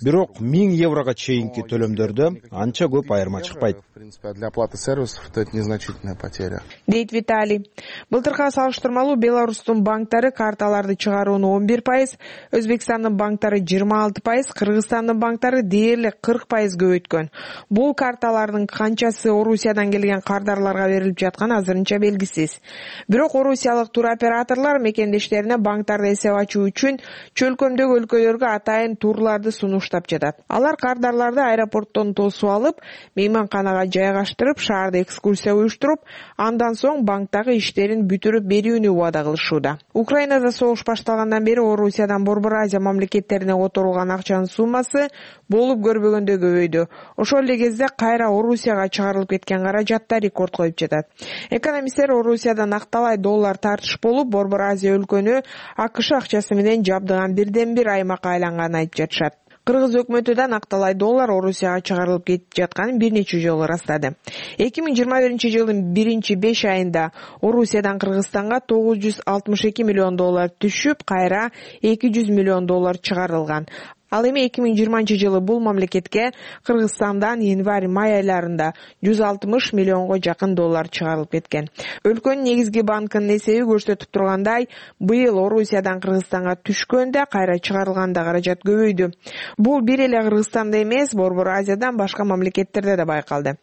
Бирок миң еврого чейинки төлөмдөрдө анча көп айырма чыкпайт. В принципе, для оплаты сервисов это незначительная потеря. Дейт Виталий. Былтырга салыштырмалуу Беларустун банктары карталарды чыгарууну он бир пайыз, Өзбекстандын банктары жыйырма алты пайыз, Кыргызстандын банктары дээрлик кырк пайыз көбөйткөн. Бул карталардын канчасы Орусиядан келген кардарларга берилип жатканы азырынча белгисиз. Бирок орусиялык туроператорлор мекендеш банктарды эсеп ачуу үчүн чөлкөмдөгү өлкөлөргө атайын турларды сунуштап жатат. Алар кардарларды аэропорттон тосуп алып, мейманканага жайгаштырып, шаарда экскурсия уюштуруп, андан соң банктагы иштерин бүтүрүп берүүнү убада кылышууда. Украинада согуш башталгандан бери Орусиядан Борбор Азия мамлекеттерине которулган акчанын суммасы болуп көрбөгөндөй көбөйдү. Ошол эле кезде кайра Орусияга чыгарылып кеткен каражат да рекорд коюп жатат. Экономисттер Орусияда накталай доллар тартыш болуп, Борбор Азия өлкөнү АКШ акчасы менен жабдыган бирден бир аймакка айланганын айтып жатышат. Кыргыз өкмөтү да накталай доллар Орусияга чыгарылып кетип жатканын бир нече жолу ырастады. эки миң жыйырма биринчи жылдын биринчи беш айында Орусиядан Кыргызстанга тогуз жүз алтымыш эки миллион доллар түшүп, кайра эки жүз миллион доллар чыгарылган. Ал эми эки миң жыйырманчы жылы бул мамлекетке Кыргызстандан январь-май айларында жүз алтымыш миллионго жакын доллар чыгарылып кеткен. Өлкөнүн негизги банкынын эсеби көрсөтүп тургандай, быйыл Орусиядан Кыргызстанга түшкөндө кайра чыгарылганда каражат көбөйдү. Бул бир эле Кыргызстанда эмес, Борбор Азиядан башка мамлекеттерде да байкалды.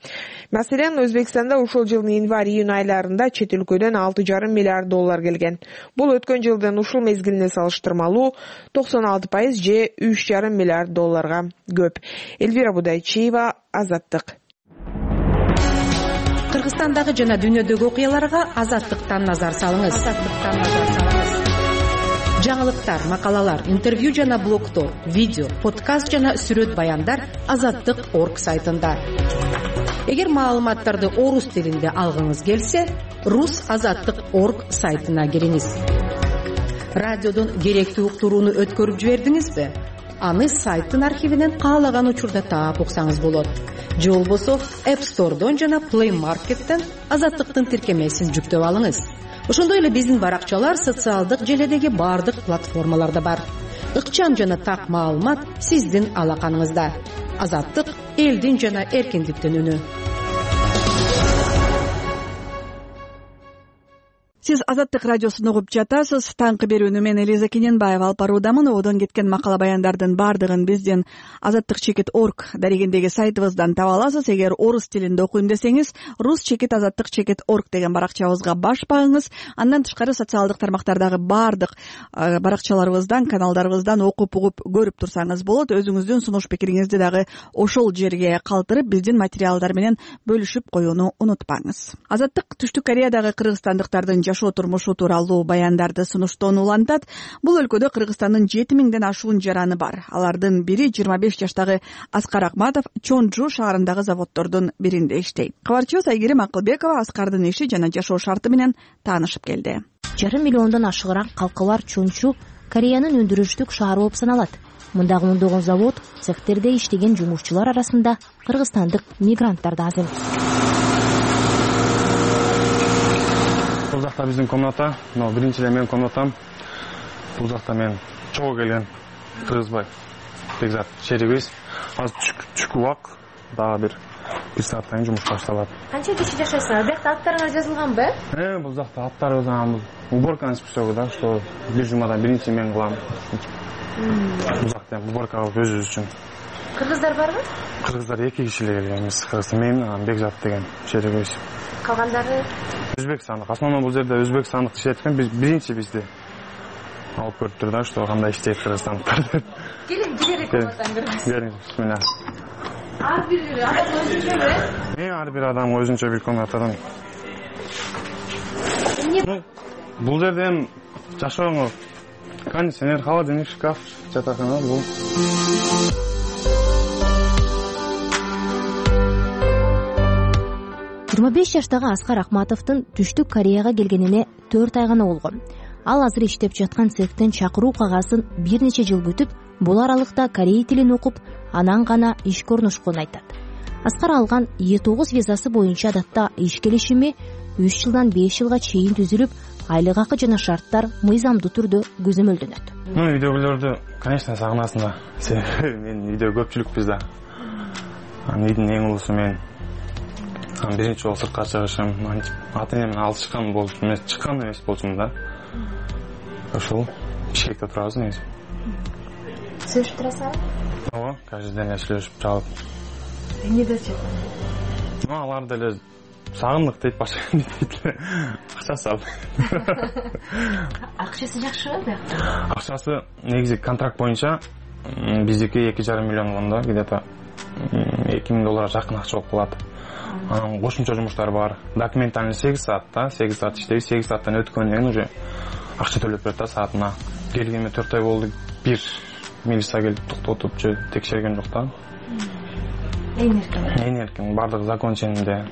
Маселен, Өзбекстанда ушул жылдын январь-июнь айларында чет өлкөдөн алты жарым миллиард доллар келген. Бул өткөн жылдын ушул мезгилине салыштырмалуу токсон алты пайыз же үч жарым миллиард долларга көп. Эльвира Будайчиева, Азаттык. Кыргызстандагы жана дүйнөдөгү окуяларга Азаттыктан назар салыңыз. Азаттыктан назар салыңыз. Жаңылыктар, макалалар, интервью жана блогтор, видео, подкаст жана сүрөт баяндар азаттык точка орг сайтында. Эгер маалыматтарды орус тилинде алгыңыз келсе, рус азаттык точка орг сайтына кириңиз. Радиодон керектүү уктурууну өткөрүп жибердиңизби? Аны сайттын архивинен каалаган учурда таап уксаңыз болот. Же болбосо App Store'дон жана Play Market'тен Азаттыктын тиркемесин жүктөп алыңыз. Ошондой эле биздин баракчалар социалдык желедеги бардык платформаларда бар. Ыкчам жана так маалымат сиздин алаканыңызда. Азаттык элдин жана эркиндиктин үнү. Сиз Азаттык радиосун угуп жатасыз. Таңкы берүүнү мен Элиза Кененбаева алып баруудамын. Одон кеткен макала баяндардын баардыгын биздин азаттык чекит орг дарегиндеги сайтыбыздан таба аласыз. Эгер орус тилинде окуйм десеңиз, рус чекит азаттык чекит орг деген баракчабызга баш багыңыз. Андан тышкары социалдык тармактардагы баардык баракчаларыбыздан, каналдарыбыздан окуп угуп көрүп турсаңыз болот. Өзүңүздүн сунуш пикириңизди дагы ошол жерге калтырып, биздин материалдар менен бөлүшүп коюуну унутпаңыз. Азаттык Түштүк Кореядагы кыргызстандыктардын жашоо турмушу тууралуу баяндарды сунуштоону улантат. Бул өлкөдө Кыргызстандын жети миңден ашуун жараны бар. Алардын бири жыйырма беш жаштагы Аскар Акматов Чонжу шаарындагы заводдордун биринде иштейт. Кабарчыбыз Айгерим Акылбекова Аскардын иши жана жашоо шарты менен таанышып келди. Жарым миллиондон ашыгыраак калкы бар Чонжу Кореянын өндүрүштүк шаары болуп саналат. Мындагы ондогон завод, цехтерде иштеген жумушчулар арасында кыргызстандык мигранттар да аз эмес. Бул жакта биздин комната, но биринчи эле менин комнатам. Бул жакта мен чогуу келген Кыргызбай Бекзат шерибиз. Азыр түшкү убак, дагы бир бир сааттан кийин жумуш башталат. Канча киши жашайсыңар? Бул жакта аттарыңар жазылганбы? Э, бул жакта аттарыбыз анан бул уборканы списогу да, что бир жумадан биринчи мен кылам. Бул жакта уборка кылып өзүбүз үчүн. Кыргыздар барбы? Кыргыздар эки киши эле келген эмес. Кыргыздар мен, анан Бекзат деген шерибиз. Калгандары Өзбекстандык. Основном бул жерде Өзбекстандык иштейт экен. Биз биринчи бизди алып көрүптүр да, что кандай иштейт Кыргызстандыктар деп. Келин, жиберек комнатаңыз. Келиңиз, бисмилла. Ар бир адам өзүнчөбү? Э, ар бир адам өзүнчө бир комнатадан. Бул жерде эми жашооңо кондиционер, холодильник, шкаф, жатакана бул. жыйырма беш жаштагы Аскар Акматовдун Түштүк Кореяга келгенине төрт ай гана болгон. Ал азыр иштеп жаткан цехтен чакыруу кагазын бир нече жыл күтүп, бул аралыкта корей тилин окуп, анан гана ишке орношконун айтат. Аскар алган Е тогуз визасы боюнча адатта иш келишими үч жылдан беш жылга чейин түзүлүп, айлык акы жана шарттар мыйзамдуу түрдө көзөмөлдөнөт. Ну, үйдөгүлөрдү, конечно, сагынасың да. Мен үйдө көпчүлүкпүз да. Анын үйдүн эң улусу мен. Анан биринчи жолу сыртка чыгышым, ата энемден алышкан болуп эмес, чыккан эмес болчумун да. Ошол Бишкекте турабыз негизи. Сүйлөшүп турасызбы? Ооба, каждый день сүйлөшүп чалып. Эмне деп жатат? Ну, алар деле сагындык дейт, башка эмне дейт эле. Акчасы ал. Акчасы жакшыбы биякта? Акчасы негизи контракт боюнча биздики эки жарым миллион болгондо, где-то эки миң долларга жакын акча болуп калат. Анан кошумча жумуштар бар. Документальный сегиз саат да, сегиз саат иштейбиз, сегиз сааттан өткөндөн кийин уже акча төлөп берет да саатына. Келгениме төрт ай болду. Бир милиция келип токтотуп, же текшерген жок да. Эң эркин. Эң эркин, бардыгы закон ченинде.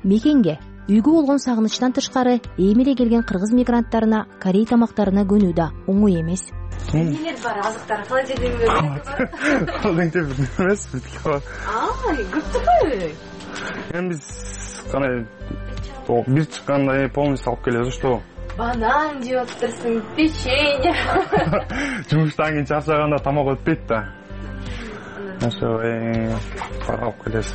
Мекенге үйгө болгон сагынычтан тышкары эми эле келген кыргыз мигранттарына корей тамактарына көнүү да оңой эмес. Эмнелер бар? Азыктар, холодильник Холодильник эмес, бүтүк бар. Аа, көптүкпү? Эми биз кандай бир чыкканда полностью алып келебиз, что? Банан жеп отурсуң, печенье. Жумуштан кийин чарчаганда тамак өтпөйт да. Ошо бар алып келебиз.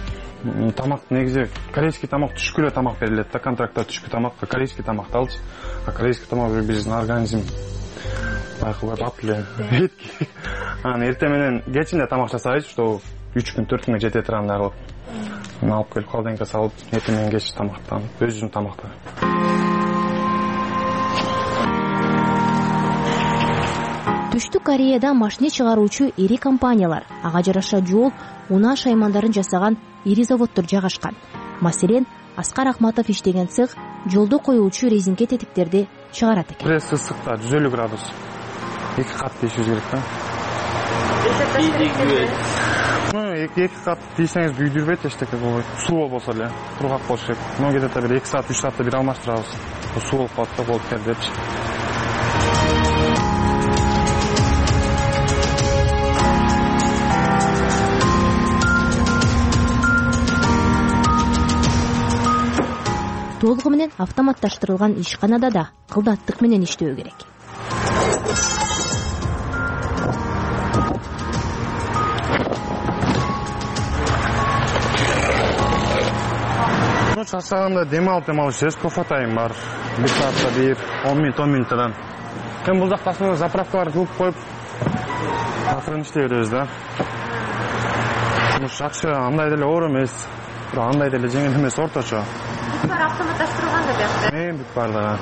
Тамак негизи корейский тамак, түшкү эле тамак берилет да, контрактта түшкү тамакка корейский тамакты алчы. А корейский тамак биздин организм байкалып ап эле. Анан эртең менен кечинде тамак жасайбыз, что үч күн төрт күнгө жете тургандай кылып. Мына алып келип холодильникке салып, эртең менен кеч тамактан, өзүнүн тамактары. Түштүк Кореяда машина чыгаруучу ири компаниялар, ага жараша жол, унаа шаймандарын жасаган ири заводдор жайгашкан. Маселен, Аскар Акматов иштеген цех жолдо коюучу резинке тетиктерди чыгарат экен. Пресс ысыкта жүз элүү градус. эки кат тийишибиз керек да. Ну, эки кат тийсеңиз күйдүрбөйт, эчтеке болбойт. Суу болбосо эле, кургак болуш керек. Но где-то бир эки саат, үч саатта бир алмаштырабыз. Суу болуп калат да, болуп келди депчи. Толугу менен автоматташтырылган ишканада да кылдаттык менен иштөө керек. чарчаганда дем алып дем алып жүрөбүз. Кофе тайм бар. бир саатта бир, он минут он минуттан. Эми бул жакта основной заправкалар кылып коюп акырын иштей беребиз да. Жумуш жакшы, андай деле оор эмес. Бирок андай деле жеңил эмес, орточо. Бүт баары автоматташтырылган да биякта. Эми бүт баардыгы.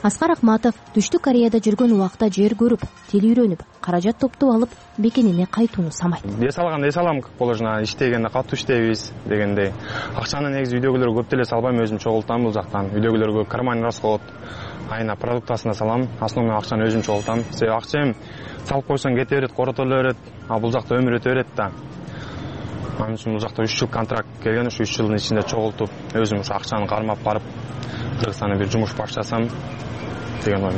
Аскар Акматов Түштүк Кореяда жүргөн убакта жер көрүп, тил үйрөнүп, каражат топтоп алып, бекенине кайтууну самайт. Эс алганда эс алам, как положено, иштегенде катуу иштейбиз дегендей. Акчаны негизи үйдөгүлөргө көп деле салбайм, өзүм чогултам бул жактан. Үйдөгүлөргө карман расход, айына продуктасына салам, основной акчаны өзүм чогултам. Себеби акча эми салып койсоң кете берет, коротоло берет, а бул жакта өмүр өтө берет да. Анын үчүн бул жакта үч жыл контракт келген, ушу үч жылдын ичинде чогултуп, өзүм ушу акчаны кармап барып, Кыргызстанда бир жумуш баштасам деген ойм.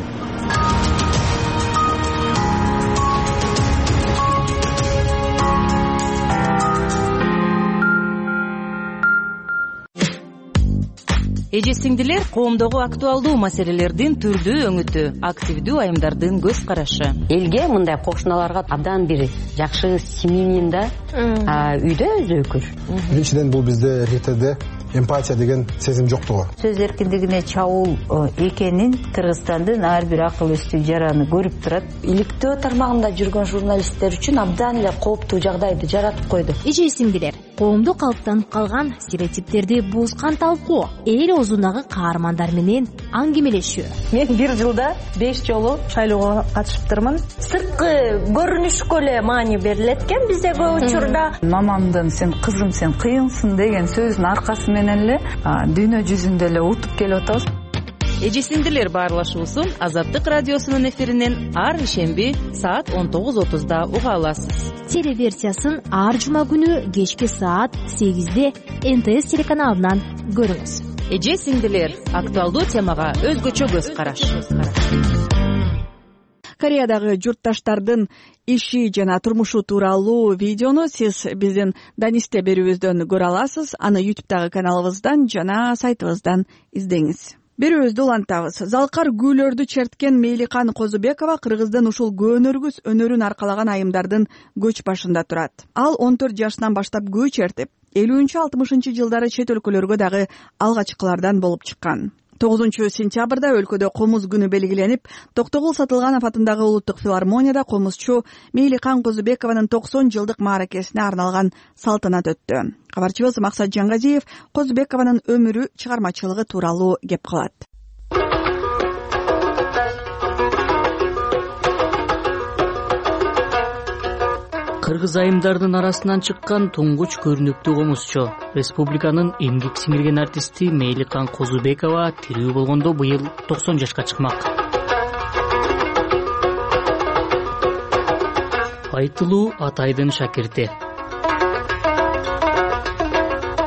Эже сиңдилер, коомдогу актуалдуу маселелердин түрдүү өңүтү, активдүү айымдардын көз карашы. Элге мындай кошуналарга абдан бир жакшы семьянин да үйдө өзөкүр. Биринчиден бул бизде РТде эмпатия деген сезим жоктугу. Сөз эркиндигине чабуул экенин Кыргызстандын ар бир акыл эстүү жараны көрүп турат. Иликтөө тармагында жүргөн журналисттер үчүн абдан эле кооптуу жагдайды жаратып койду. Эже сиңдилер, коомдо калыптанып калган стереотиптерди бузган талкуу, эл оозундагы каармандар менен аңгемелешүү. Мен бир жылда беш жолу шайлоого катышыптырмын. Сырткы көрүнүшкө эле маани берилет экен бизде көп учурда. Мамамдын "сен кызым, сен кыйынсың" деген сөзүнүн аркасы менен эле дүйнө жүзүндө эле утуп келип атабыз. Эже сиңдилер баарлашуусун Азаттык радиосунун эфиринен ар ишемби саат он тогуз отузда уга аласыз. Телеверсиясын ар жума күнү кечки саат сегизде эн тэ эс телеканалынан көрүңүз. Эже сиңдилер, актуалдуу темага өзгөчө көз караш. Кореядагы журтташтардын иши жана турмушу тууралуу видеону сиз биздин Данисте берүүбүздөн көрө аласыз. Аны ютубтагы каналыбыздан жана сайтыбыздан издеңиз. Берүүбүздү улантабыз. Залкар гүлөрдү черткен Мейликан Козубекова Кыргыздын ушул көөнөргүс өнөрүн аркалаган айымдардын көч башында турат. Ал он төрт жашынан баштап көө чертип, элүүнчү алтымышынчы жылдары чет өлкөлөргө дагы алгачкылардан болуп чыккан. тогузунчу сентябрда өлкөдө комуз күнү белгиленип, Токтогул Сатылганов атындагы улуттук филармонияда комузчу Мейликан Козубекованын токсон жылдык мааракесине арналган салтанат өттү. Кабарчыбыз Максат Жаңгазиев Козубекованын өмүрү, чыгармачылыгы тууралуу кеп кылат. Кыргыз айымдардын арасынан чыккан туңгуч көрүнүктүү комузчу, республиканын эмгек сиңирген артисти Мейликан Козубекова тирүү болгондо быйыл токсон жашка чыкмак. Айтылуу Атайдын шакирти.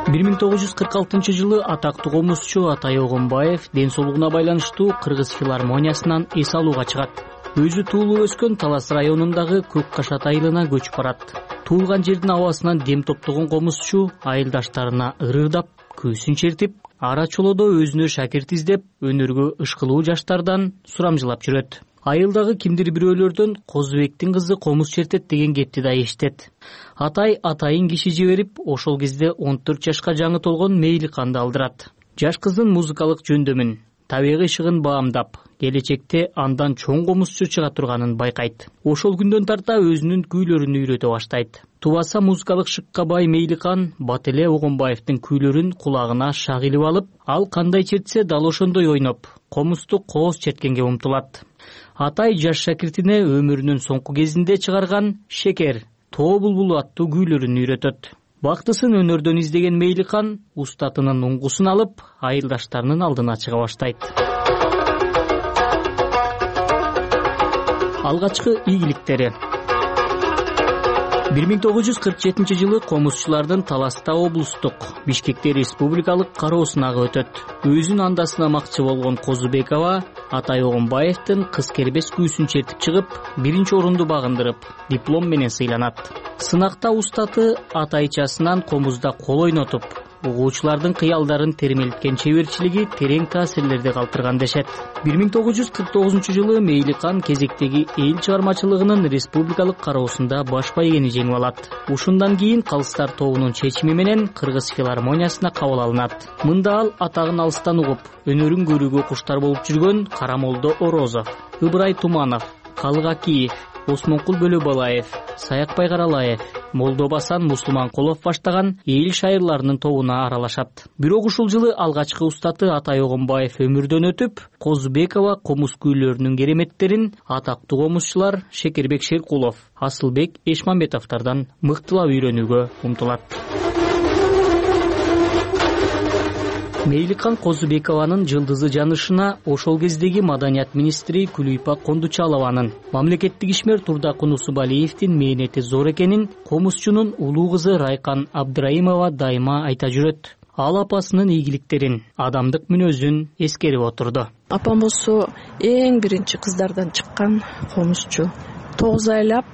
бир миң тогуз жүз кырк алтынчы жылы атактуу комузчу Атай Огонбаев ден соолугуна байланыштуу Кыргыз филармониясынан эс алууга чыгат. Өзү туулуп өскөн Талас районундагы Көк Кашат айылына көчүп барат. Туулган жердин абасынан дем топтогон комузчу айылдаштарына ырырдап, күүсүн чертип, ара чолодо өзүнө шакирт издеп, өнөргө ышкылуу жаштардан сурамжылап жүрөт. Айылдагы кимдир бирөөлөрдөн Козубектин кызы комуз чертет деген кепти да эшитет. Атай атайын киши жиберип, ошол кезде он төрт жашка жаңы толгон Мейликанды алдырат. Жаш кыздын музыкалык жөндөмүн, табигый ышыгын баамдап, келечекте андан чоң комузчу чыга турганын байкайт. Ошол күндөн тарта өзүнүн күүлөрүн үйрөтө баштайт. Тубаса музыкалык шыкка бай Мейликан бат эле Огонбаевдин күүлөрүн кулагына шак илип алып, ал кандай чертсе дал ошондой ойноп, комузду кооз черткенге умтулат. Атай жаш шакиртине өмүрүнүн соңку кезинде чыгарган Шекер, Тоо булбулу аттуу күүлөрүн үйрөтөт. Бактысын өнөрдөн издеген Мейликан устатынын уңгусун алып, айылдаштарынын алдына чыга баштайт. Алгачкы ийгиликтери. бир миң тогуз жүз кырк жетинчи жылы комузчулардын Таласта облустук, Бишкекте республикалык кароосунагы өтөт. Өзүн анда сынамакчы болгон Козубекова Атай Огонбаевдин кыз кербес күүсүн чертип чыгып, биринчи орунду багындырып, диплом менен сыйланат. Сынакта устаты атайчасынан комузда кол ойнотуп, угуучулардын кыялдарын термелткен чеберчилиги терең таасирлерди калтырган дешет. бир миң тогуз жүз кырк тогузунчу жылы Мейликан кезектеги эл чыгармачылыгынын республикалык кароосунда баш байгени жеңип алат. Ушундан кийин Калыстар тобунун чечими менен Кыргыз филармониясына кабыл алынат. Мында ал атагын алыстан угуп, өнөрүн көрүүгө куштар болуп жүргөн Карамолдо Орозов, Ыбырай Туманов, Калык Акиев, Осмонкул Бөлөбалаев, Саякбай Каралаев, Молдобасан Мусулманкулов баштаган эл шайырларынын тобуна аралашат. Бирок ушул жылы алгачкы устаты Атай Огонбаев өмүрдөн өтүп, Козубекова комуз күүлөрүнүн кереметтерин атактуу комузчулар Шекербек Шеркулов, Асылбек Эшмамбетовдордон мыктылап үйрөнүүгө умтулат. Мейликан Козубекованын жылдызы жанышына ошол кездеги маданият министри Күлүйпа Кондучалованын, мамлекеттик ишмер Турдакы Нусубалиевдин мээнети зор экенин комузчунун улуу кызы Райкан Абдраимова дайыма айта жүрөт. Ал апасынын ийгиликтерин, адамдык мүнөзүн эскерип отурду. Апам болсо эң биринчи кыздардан чыккан комузчу. тогуз айлап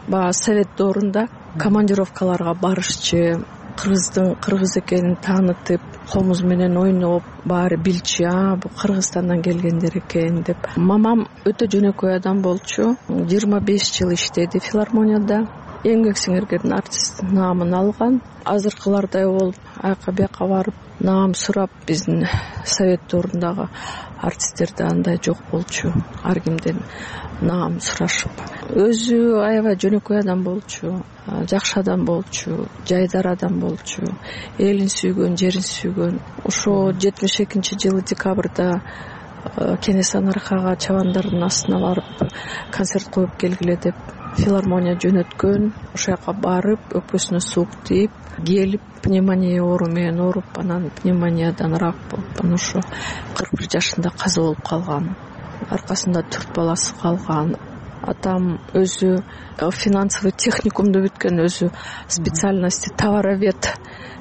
баягы совет доорунда командировкаларга барышчы, кыргыздын кыргыз экенин таанытып, комуз менен ойноп, баары билчү, а бул Кыргызстандан келгендер экен деп. Мамам өтө жөнөкөй адам болчу. жыйырма беш жыл иштеди филармонияда. Эмгек сиңирген артист наамын алган. Азыркылардай болуп, аяка бияка барып, наам сурап, биздин совет доорундагы артисттерде андай жок болчу. Ар кимден наам сурашып. Өзү аябай жөнөкөй адам болчу, жакшы адам болчу, жайдар адам болчу, элин сүйгөн, жерин сүйгөн. Ошо жетимиш экинчи жылы декабрда Кенеса Наркага чабандардын астына барып концерт коюп келгиле деп филармония жөнөткөн. Ошол жака барып, өкпөсүнө суук тийип, келип пневмония оору менен ооруп, анан пневмониядан рак болуп, анан ошо кырк бир жашында каза болуп калган. Аркасында төрт баласы калган. Атам өзү финансовый техникумду бүткөн, өзү специальности товаровед.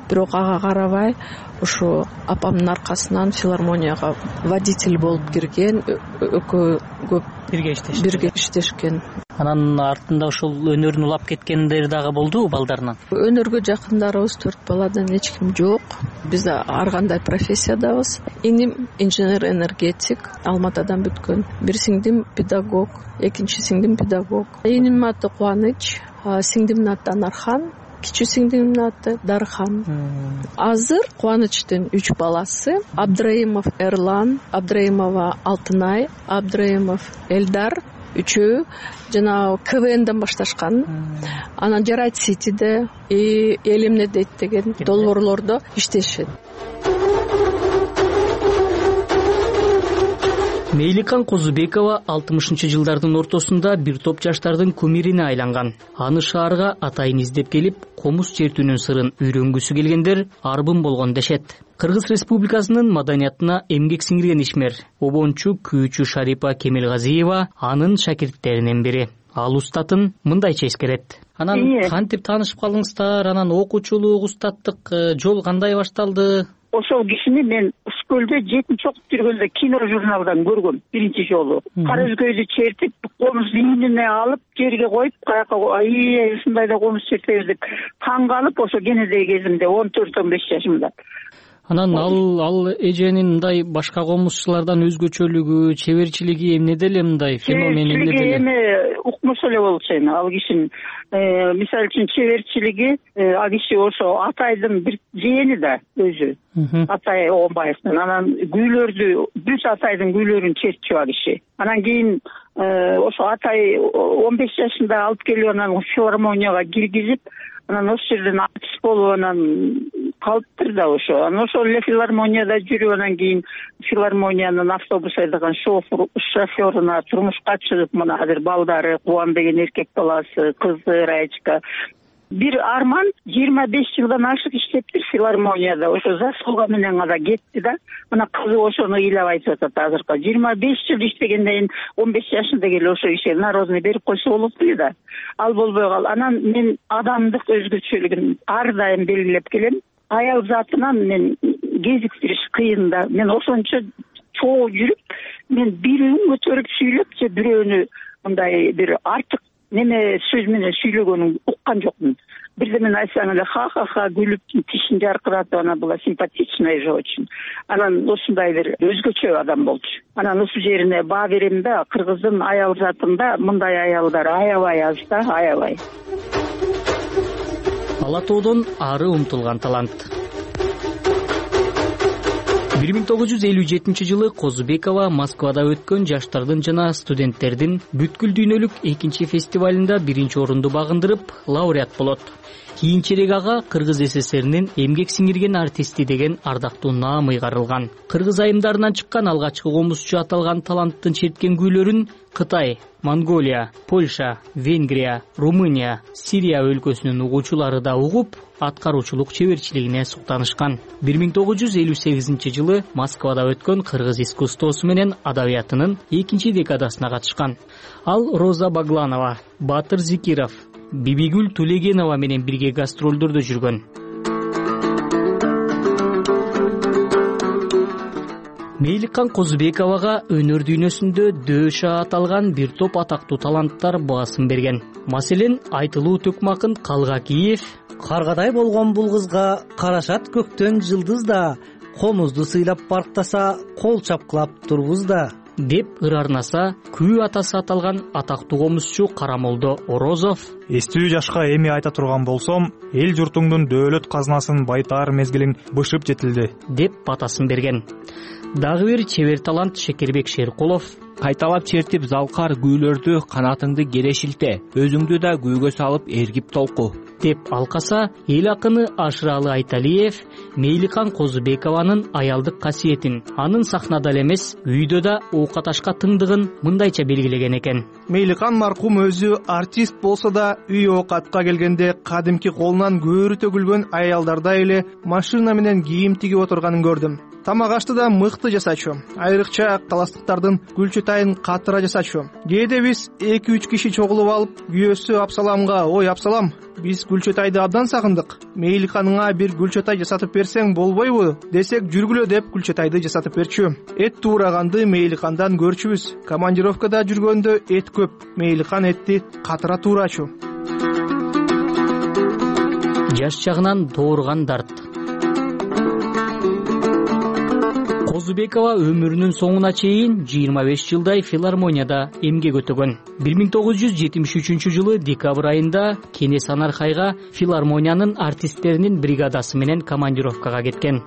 Бирок ага карабай, ошо апамдын аркасынан филармонияга водитель болуп кирген, экөө көп бирге иштешкен. Бирге иштешкен. Анан артында ошол өнөрүн улап кеткендер дагы болдубу балдарынан? Өнөргө жакындарыбыз төрт баладан эч ким жок. Биз ар кандай профессиядабыз. Иним инженер-энергетик, Алматадан бүткөн. Бир сиңдим педагог, экинчи сиңдим педагог. Инимдин аты Кубаныч, сиңдимдин аты Анархан, кичүү сиңдимдин аты Дархан. Азыр Кубанычтын үч баласы: Абдраимов Эрлан, Абдраимова Алтынай, Абдраимов Элдар. Үчөө жана КВНден башташкан. Анан Жарайт Ситиде, Элимне дейт деген долбоорлордо иштешет. Мейликан Козубекова алтымышынчы жылдардын ортосунда бир топ жаштардын кумирине айланган. Аны шаарга атайын издеп келип, комуз чертүүнүн сырын үйрөнгүсү келгендер арбын болгон дешет. Кыргыз Республикасынын маданиятына эмгек сиңирген ишмер, обончу күүчү Шарипа Кемелгазиева анын шакирттеринен бири. Ал устатын мындайча эскерет. Анан кантип таанышып калдыңыздар? Анан окуучулук, устаттык жол кандай башталды? Ошол кишини мен Скөлдө жетинчи окуп жүргөндө кино журналдан көргөм биринчи жолу. Кара өзгөйдү чертип, комуз ийнине алып, жерге коюп, каяка ай ушундай да комуз чертебиз деп таң калып, ошо кенедей кезимде он төрт он беш жашымда. Анан ал ал эженин мындай башка комузчулардан өзгөчөлүгү, чеберчилиги эмнеде эле мындай феномен эмнеде эле? Эми укмуш эле болчу эми ал кишинин. Мисалы үчүн чеберчилиги, ал киши ошо Атайдын бир жээни да өзү. Атай Огонбаевдин. Анан күүлөрдү, бүт Атайдын күүлөрүн чертчү ал киши. Анан кийин ошо Атай он беш жашында алып келип, анан филармонияга киргизип, анан ошол жерден артист болуп анан калыптыр да ошо. Анан ошол эле филармонияда жүрүп, анан кийин филармониянын автобус айдаган шофер шофёруна турмушка чыгып, мына азыр балдары Кубан деген эркек баласы, кызы Раечка. Бир арман жыйырма беш жылдан ашык иштептир филармонияда. Ошо заслуга менен гана кетти да. Мына кызы ошону ыйлап айтып атат азыркы. жыйырма беш жыл иштегенден кийин он беш жашында келе ошо ишке народный берип койсо болот эле да. Ал болбой калды. Анан мен адамдык өзгөчөлүгүн ар дайым белгилеп келем. Аял затынан мен кезиктириш кыйын да. Мен ошончо чогуу жүрүп, мен бирөөнү көтөрүп сүйлөп же бирөөнү мындай бир артык неме сөз менен сүйлөгөнүн уккан жокмун. Бирдемени айтсаң эле ха ха ха күлүп тишин жаркыратып, анан була симпатичный же очень. Анан ушундай бир өзгөчө адам болчу. Анан ушул жерине баа берем да, кыргыздын аял затында мындай аялдар аябай аз да, аябай. Ала тоодон ары умтулган талант. бир миң тогуз жүз элүү жетинчи жылы Козубекова Москвада өткөн жаштардын жана студенттердин бүткүл дүйнөлүк экинчи фестивалында биринчи орунду багындырып, лауреат болот. Кийинчерээк ага Кыргыз СССРинин эмгек сиңирген артисти деген ардактуу наам ыйгарылган. Кыргыз айымдарынан чыккан алгачкы комузчу аталган таланттын черткен күүлөрүн Кытай, Монголия, Польша, Венгрия, Румыния, Сирия өлкөсүнүн угуучулары да угуп, аткаруучулук чеберчилигине суктанышкан. бир миң тогуз жүз элүү сегизинчи жылы Москвада өткөн кыргыз искусствосу менен адабиятынын экинчи декадасына катышкан. Ал Роза Багланова, Батыр Зикиров, Бибигүл Тулегенова менен бирге гастролдордо жүргөн. Мейликан Козубековага өнөр дүйнөсүндө дөша аталган бир топ атактуу таланттар басым берген. Маселен, Айтылуу Төкмакын Калгакиев каргадай болгон бул кызга карашат көктөн жылдыз да, комузду сыйлап барктаса кол чапкылап турбуз да деп ырарнаса, күү атасы аталган атактуу комузчу Карамолдо Орозов эстүү жашка эми айта турган болсом, эл журтуңдун дөөлөт казынасын байтаар мезгилиң бышып жетилди деп батасын берген. Дагы бир чебер талант Шекербек Шеркулов кайталап чертип залкар күүлөрдү канатыңды кере шилте, өзүңдү да күүгө салып эргип толку деп алкаса, эл акыны Ашыралы Айталиев Мейликан Козубекованын аялдык касиетин, анын сахнада эле эмес, үйдө да оокаташка тыңдыгын мындайча белгилеген экен. Мейликан маркум өзү артист болсо да, үй оокатка келгенде кадимки колунан көөрү төгүлгөн аялдардай эле машина менен кийим тигип отурганын көрдүм. Тамак ашты да мыкты жасачу, айрыкча таластыктардын гүлчөтайын катыра жасачу. Кээде биз эки үч киши чогулуп алып, күйөөсү Апсаламга: "Ой Апсалам, биз Гүлчөтайды абдан сагындык. Мейликаныңа бир Гүлчөтай жасатып берсең болбойбу?" десек, "Жүргүлө" деп Гүлчөтайды жасатып берчү. Эт туураганды Мейликандан көрчүбүз. Командировкада жүргөндө эт көп. Мейликан этти катыра туурачу. Жаш чагынан дооруган дарт. Козубекова өмүрүнүн соңуна чейин жыйырма беш жылдай филармонияда эмгек өтөгөн. бир миң тогуз жүз жетимиш үчүнчү жылы декабрь айында Кенес Анархайга филармониянын артисттеринин бригадасы менен командировкага кеткен.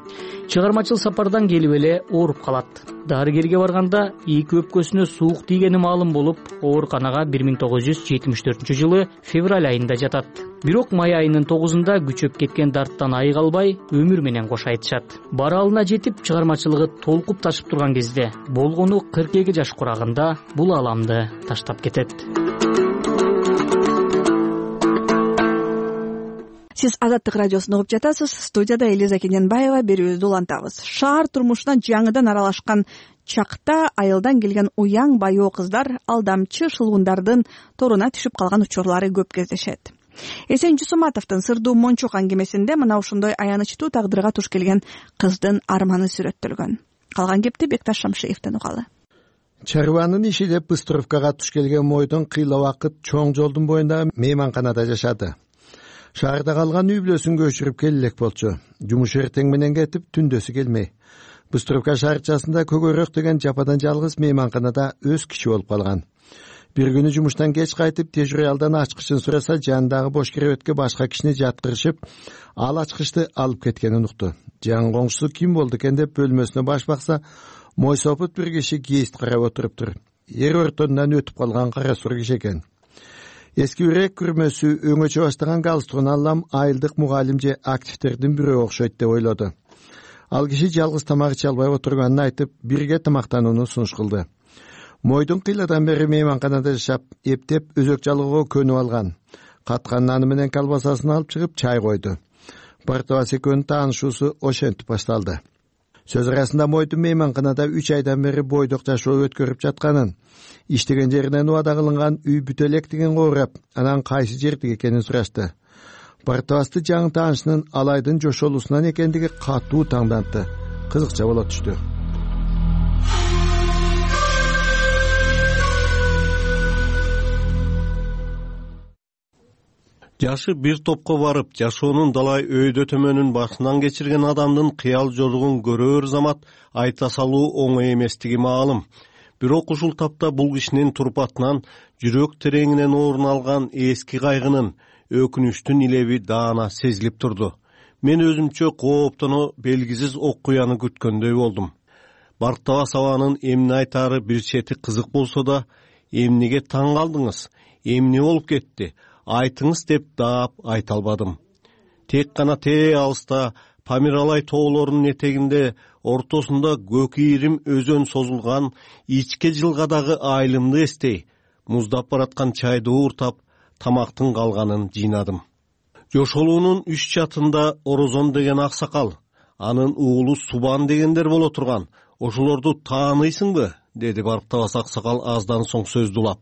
Чыгармачыл сапардан келип эле ооруп калат. Дарыгерге барганда эки өпкөсүнө суук тийгени маалым болуп, ооруканага бир миң тогуз жүз жетимиш төртүнчү жылы февраль айында жатат. Бирок май айынын тогузунда күчөп кеткен дарттан айыга албай, өмүр менен кош айтышат. Баралына жетип, чыгармачылыгы толкуп ташып турган кезде, болгону кырк эки жаш курагында бул ааламды таштап кетет. Сиз Азаттык радиосун угуп жатасыз. Студияда Элиза Кененбаева берүүбүздү улантабыз. Шаар турмушуна жаңыдан аралашкан чакта айылдан келген уяң байоо кыздар алдамчы шылгундардын торуна түшүп калган учурлары көп кездешет. Эсен Жусуматовдун Сырдуу Мончок аңгемесинде мына ушундай аянычтуу тагдырга туш келген кыздын арманы сүрөттөлгөн. Калган кепти Бекташ Шамшиевден угалы. Чарбанын иши деп Быстровкага туш келген Мойдун кыйла убакыт чоң жолдун боюнда мейманканада жашады. Шаарда калган үй бүлөсүн көчүрүп келелек болчу. Жумуш эртең менен кетип, түндөсү келмей. Быстровка шаарчасында Көгөрөк деген жападан жалгыз мейманканада өз киши болуп калган. Бир күнү жумуштан кеч кайтып, тежуралдан ачкычын сураса, жанындагы бош керебетке башка кишини жаткырышып, ал ачкычты алып кеткенин укту. Жан коңшусу ким болду экен деп бөлмөсүнө баш бакса, мойсопут бир киши кээст карап отуруптур. Эр ортонунан өтүп калган кара сур киши экен. Эски үрек күрмөсү өңөчө баштаган галстугун алам айылдык мугалим же активдердин бирөө окшойт деп ойлоду. Ал киши жалгыз тамак иче албай отурганын айтып, бирге тамактанууну сунуш кылды. Мойдун кыйладан бери мейманканада жашап, эптеп өзөк жалгоого көнүп алган. Каткан наны менен колбасасын алып чыгып чай койду. Бартыбас экөөнүн таанышуусу ошентип башталды. Сөз арасында Мойдун мейманканада үч айдан бери бойдок жашоо өткөрүп жатканын, иштеген жеринен убада кылынган үй бүтө элек дегенге урап, анан кайсы жердик экенин сурашты. Бартыбасты жаңы таанышынын алайдын жошолуусунан экендиги катуу таңдантты. Кызыкча боло түштү. Жашы бир топко барып, жашоонун далай өйдө төмөнүн башынан кечирген адамдын кыял жоругун көрөр замат айта салуу оңой эместиги маалым. Бирок ушул тапта бул кишинин турпатынан жүрөк тереңинен орун алган эски кайгынын, өкүнүчтүн илеби даана сезилип турду. Мен өзүмчө кооптоно белгисиз окуяны күткөндөй болдум. Бартабас абанын эмне айтаары бир чети кызык болсо да, эмнеге таң калдыңыз, эмне болуп кетти, айтыңыз деп даап айта албадым. Тек гана тээ алыста Памиралай тоолорунун этегинде ортосунда көк ийрим өзөн созулган ичке жылгадагы айылымды эстей, муздап бараткан чайды ууртап, тамактын калганын жыйнадым. Жошолуунун үч чатында Орозон деген аксакал, анын уулу Субан дегендер боло турган. Ошолорду тааныйсыңбы? Деди Бартабас аксакал аздан соң сөздү улап.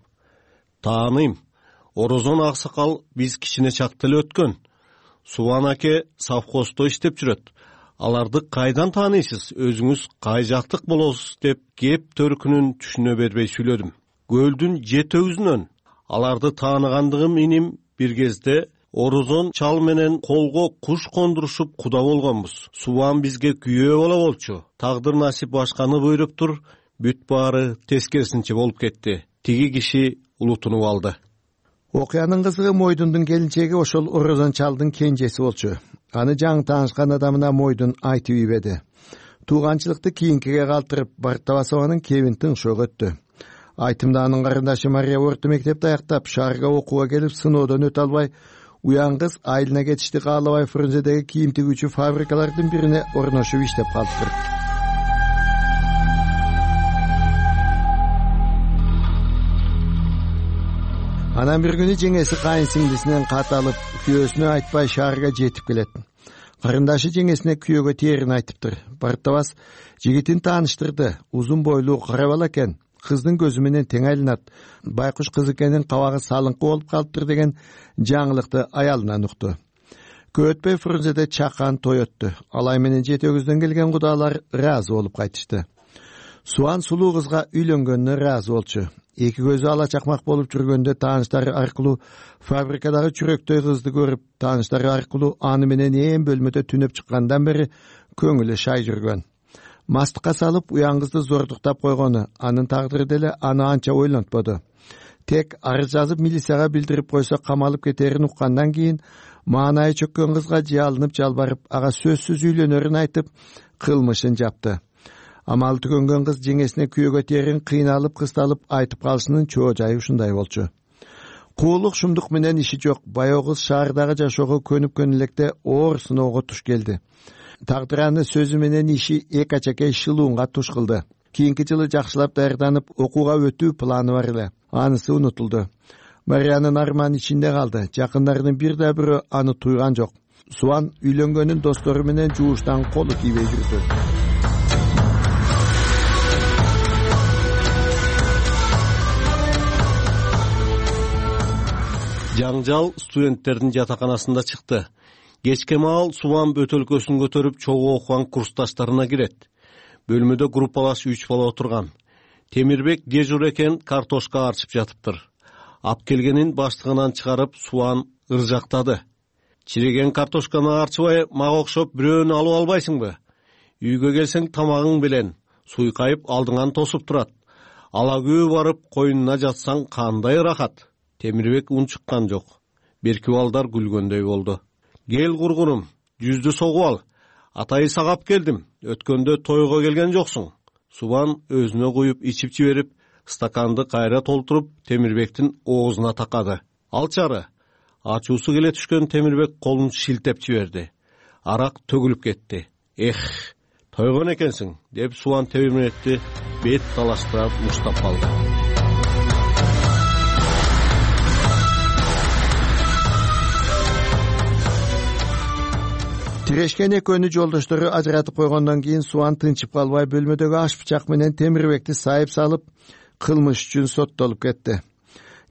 Тааныйм. Орозон аксакал биз кичине чакта эле өткөн. Субан аке совхоздо иштеп жүрөт. Аларды кайдан тааныйсыз? Өзүңүз кай жактык болосуз деп кеп төркүнүн түшүнө бербей сүйлөдүм. Көлдүн жет өгүзүнөн. Аларды тааныгандыгым иним бир кезде Орозон чал менен колго куш кондурушуп куда болгонбуз. Субан бизге күйөө боло болчу. Тагдыр насип башканы буйруптур, бүт баары тескерисинче болуп кетти. Тиги киши улутунуп алды. Окуянын кызыгы Мойдундун келинчеги ошол Орозон чалдын кенжеси болчу. Аны жаңы таанышкан адамына Мойдун айтып ийбеди. Тууганчылыкты кийинкиге калтырып, Бартабас абанын кебин тыңшоо өттү. Айтымда анын карындашы Мария орто мектепти аяктап, шаарга окууга келип, сыноодон өтө албай, уян кыз айылына кетишти каалабай Фрунзедеги кийим тигүүчү фабрикалардын бирине орношуп иштеп калыптыр. Анан бир күнү жеңеси кайын сиңдисинен кат алып, күйөөсүнө айтпай шаарга жетип келет. Карындашы жеңесине күйөөгө тээрин айтыптыр. Бартабас жигитин тааныштырды. Узун бойлуу кара бала экен. Кыздын көзү менен тең айланат. Байкуш кыз экенин кабагы салыңкы болуп калыптыр деген жаңылыкты аялынан укту. Көп өтпөй Фрунзеде чакан той өттү. Алай менен жети өгүздөн келген кудалар ыраазы болуп кайтышты. Суан сулуу кызга үйлөнгөнүнө ыраазы болчу. Эки көзү ала чакмак болуп жүргөндө тааныштары аркылуу фабрикадагы чүрөктөй кызды көрүп, тааныштары аркылуу аны менен ээн бөлмөдө түнөп чыккандан бери көңүлү шай жүргөн. Мастыкка салып, уян кызды зордуктап койгону, анын тагдыры деле аны анча ойлонтподу. Тек арыз жазып милицияга билдирип койсо камалып кетерин уккандан кийин маанайы чөккөн кызга жалынып жалбарып, ага сөзсүз үйлөнөрүн айтып, кылмышын жапты. Амалы түгөнгөн кыз жеңесине күйөөгө тээрин кыйналып, кысталып айтып калышынын чоо жайы ушундай болчу. Куулук шумдук менен иши жок. Баягы кыз шаардагы жашоого көнүп-көнүп электе оор сыноого туш келди. Тагдыраны сөзү менен иши эки ачакей шылуунга туш кылды. Кийинки жылы жакшылап даярданып, окууга өтүү планы бар эле. Анысы унутулду. Мариянын арманы ичинде калды. Жакындарынын бир да бирөө аны туйган жок. Суан үйлөнгөнүн достору менен жууштан колу тийбей жүрдү. Жаңжал студенттердин жатаканасында чыкты. Кечке маал Субан бөтөлкөсүн көтөрүп чогуу окуган курсташтарына кирет. Бөлмөдө группалаш үч бала отурган. Темирбек дежур экен, картошка арчып жатыптыр. Ап келгенин баштыгынан чыгарып Субан ыржактады. Чиреген картошканы арчыбай мага окшоп бирөөнү алып албайсыңбы? Үйгө келсең тамагың белен, суйкайып алдыңан тосуп турат. Ала күбө барып койнуна жатсаң кандай ырахат? Темирбек унчуккан жок. Берки балдар күлгөндөй болду. Кел кургунум, жүздү согуп ал. Атайы сагап келдим. Өткөндө тойго келген жоксуң. Субан өзүнө куюп ичип жиберип, стаканды кайра толтуруп, Темирбектин оозуна такады. Алчары. Ачуусу келе түшкөн Темирбек колун шилтеп жиберди. Арак төгүлүп кетти. Эх, тойгон экенсиң, деп Субан Темирбекти бет талаштырып муштап калды. Тирешкен экөөнү жолдоштору ажыратып койгондон кийин Суан тынчып калбай бөлмөдөгү аш бычак менен Темирбекти сайып салып, кылмыш үчүн соттолуп кетти.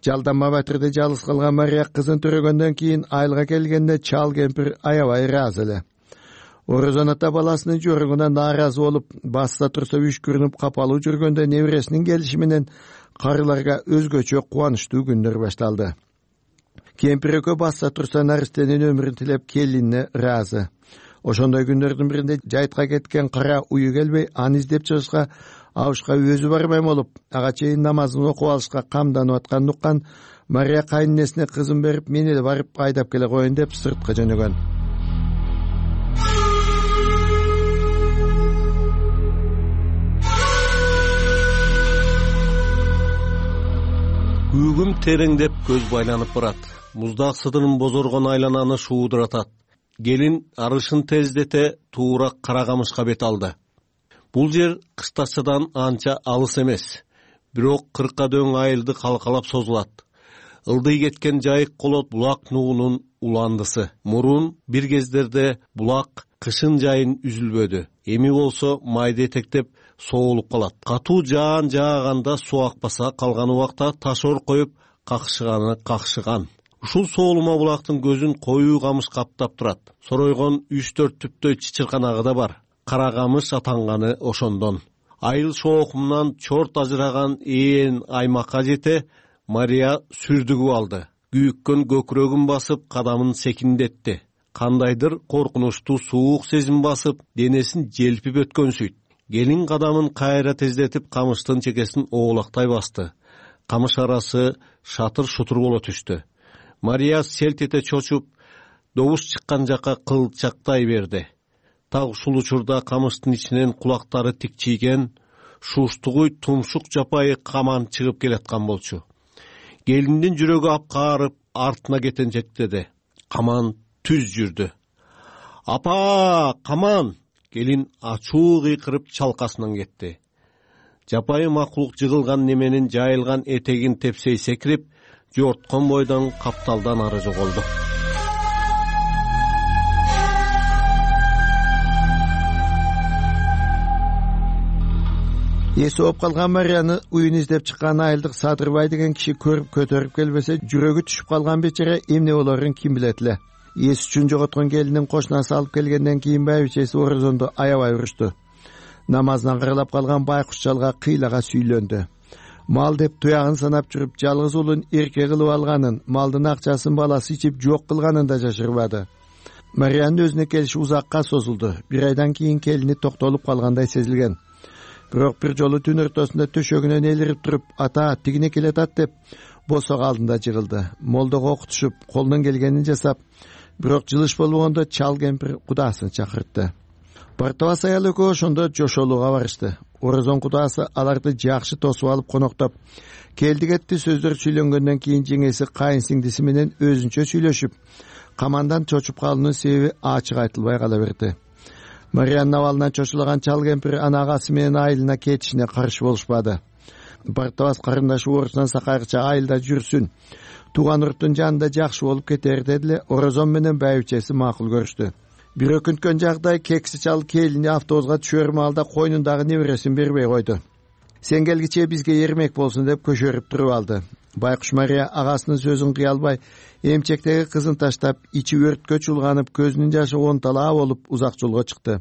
Жалданма батырды жалгыз калган Мария кызын төрөгөндөн кийин айылга келгенде чал кемпир аябай ыраазы эле. Орозон ата баласынын жоругуна нааразы болуп, басса турса үшкүрүнүп капалуу жүргөндө небересинин келиши менен карыларга өзгөчө кубанычтуу күндөр башталды. Кемпир экөө баса турса наристенин өмүрүн тилеп келинине ыраазы. Ошондой күндөрдүн биринде жайтка кеткен кара уyu келбей, аны издеп чыгышка абышка өзү барбай болуп, ага чейин намазын окуп алышка камданып атканын уккан Мария кайненесине кызын берип, мени эле барып айдап келе коеюн деп сыртка жөнөгөн. Күүгүм тереңдеп көз байланып барат. Муздак сыдырын бозоргон айлананы шуудуратат. Келин арышын тездете туура кара камышка бет алды. Бул жер кыштачадан анча алыс эмес. Бирок кыркка дөң айылды калкалап созулат. Ылдый кеткен жайык колот булак нугунун уландысы. Мурун бир кездерде булак кышын жайын үзүлбөдү. Эми болсо майды этектеп соолуп калат. Катуу жаан жааганда суу акпаса, калган убакта ташор коюп какшыганы какшыган. Ушул соолума булактын көзүн коюу камыш каптап турат. Соройгон үч төрт түптөй чычырканагы да бар. Кара камыш атанганы ошондон. Айыл шоокумунан чорт ажыраган ээн аймакка жете Мария сүрдүгүп алды. Күйүккөн көкүрөгүн басып, кадамын секиндетти. Кандайдыр коркунучтуу суук сезим басып, денесин желпип өткөнсүйт. Келин кадамын кайра тездетип, камыштын чекесин оолактай басты. Камыш арасы шатыр-шутур боло түштү. Мария селт эте чочуп, добуш чыккан жакка кылчактай берди. Так ушул учурда камыштын ичинен кулактары тикчийген, шуштугуй тумшук жапайы каман чыгып келаткан болчу. Келиндин жүрөгү апкаарып, артына кетенчектеди. Каман түз жүрдү. Апа, каман! Келин ачуу кыйкырып чалкасынан кетти. Жапайы макулук жыгылган неменин жайылган этегин тепсей секирип, жорткон бойдон капталдан ары жоголду. Эси оп калган Марияны уюн издеп чыккан айылдык Садырбай деген киши көрүп көтөрүп келбесе, жүрөгү түшүп калган бечара эмне болорун ким билет эле. Эс үчүн жоготкон келинин кошунасы алып келгенден кийин байбичеси орозонду аябай урушту. Намазынан кырылап калган байкуш жалга кыйлага сүйлөндү. Мал деп туягын санап жүрүп, жалгыз уулун эрке кылып алганын, малдын акчасын баласы ичип жок кылганын да жашырбады. Мариянын өзүнө келиши узакка созулду. Бир айдан кийин келини токтолуп калгандай сезилген. Бирок бир жолу түн ортосунда төшөгүнөн элирип туруп, ата тигине келатат деп босок алдында жыгылды. Молдого окутушуп, колунан келгенин жасап, бирок жылыш болбогондо чал кемпир кудаасын чакыртты. Бартабас аял экөө ошондо жошолууга барышты. Орозон кудаасы аларды жакшы тосуп алып коноктоп, келди кетти сөздөр сүйлөнгөндөн кийин жеңеси кайын сиңдиси менен өзүнчө сүйлөшүп, камандан чочуп калуунун себеби ачык айтылбай кала берди. Мариянын абалынан чочулаган чал кемпир ана агасы менен айылына кетишине каршы болушпады. Бартабас карындашы орусунан сакайгыча айылда жүрсүн, тууган урттун жанында жакшы болуп кетер дедиле. Орозон менен байбичеси макул көрүштү. Бир өкүнткөн жагдай кекси чал келини автобуска түшөр маалда койнундагы небересин бербей койду. Сен келгиче бизге эрмек болсун деп көшөрүп туруп алды. Байкуш Мария агасынын сөзүн кыя албай, эмчектеги кызын таштап, ичи өрткө чулганып, көзүнүн жашы онталаа болуп узак жолго чыкты.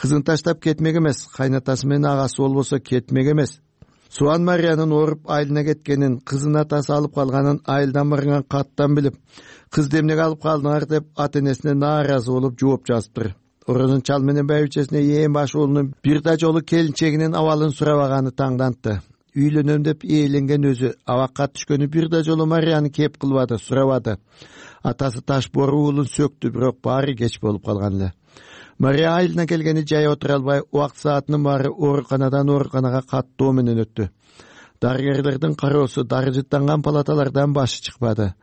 Кызын таштап кетмек эмес, кайнатасы менен агасы болбосо кетмек эмес. Суан Мариянын ооруп айылына кеткенин, кызын атасы алып калганын айылдан барган каттан билип, кыз демнеге алып калдыңар деп ата энесине нааразы болуп жооп жазыптыр. Орозон чал менен байбичесине ээн баш уулунун бир да жолу келинчегинин абалын сурабаганы таңдантты. Үйлөнөм деп ээленген өзү абакка түшкөнү бир да жолу Марияны кеп кылбады, сурабады. Атасы таш бору уулун сөктү, бирок баары кеч болуп калган эле. Мария айылына келгени жай отура албай, убакыт саатынын баары ооруканадан ооруканага каттоо менен өттү. Дарыгерлердин кароосу, дары жыттанган палаталардан башы чыкпады.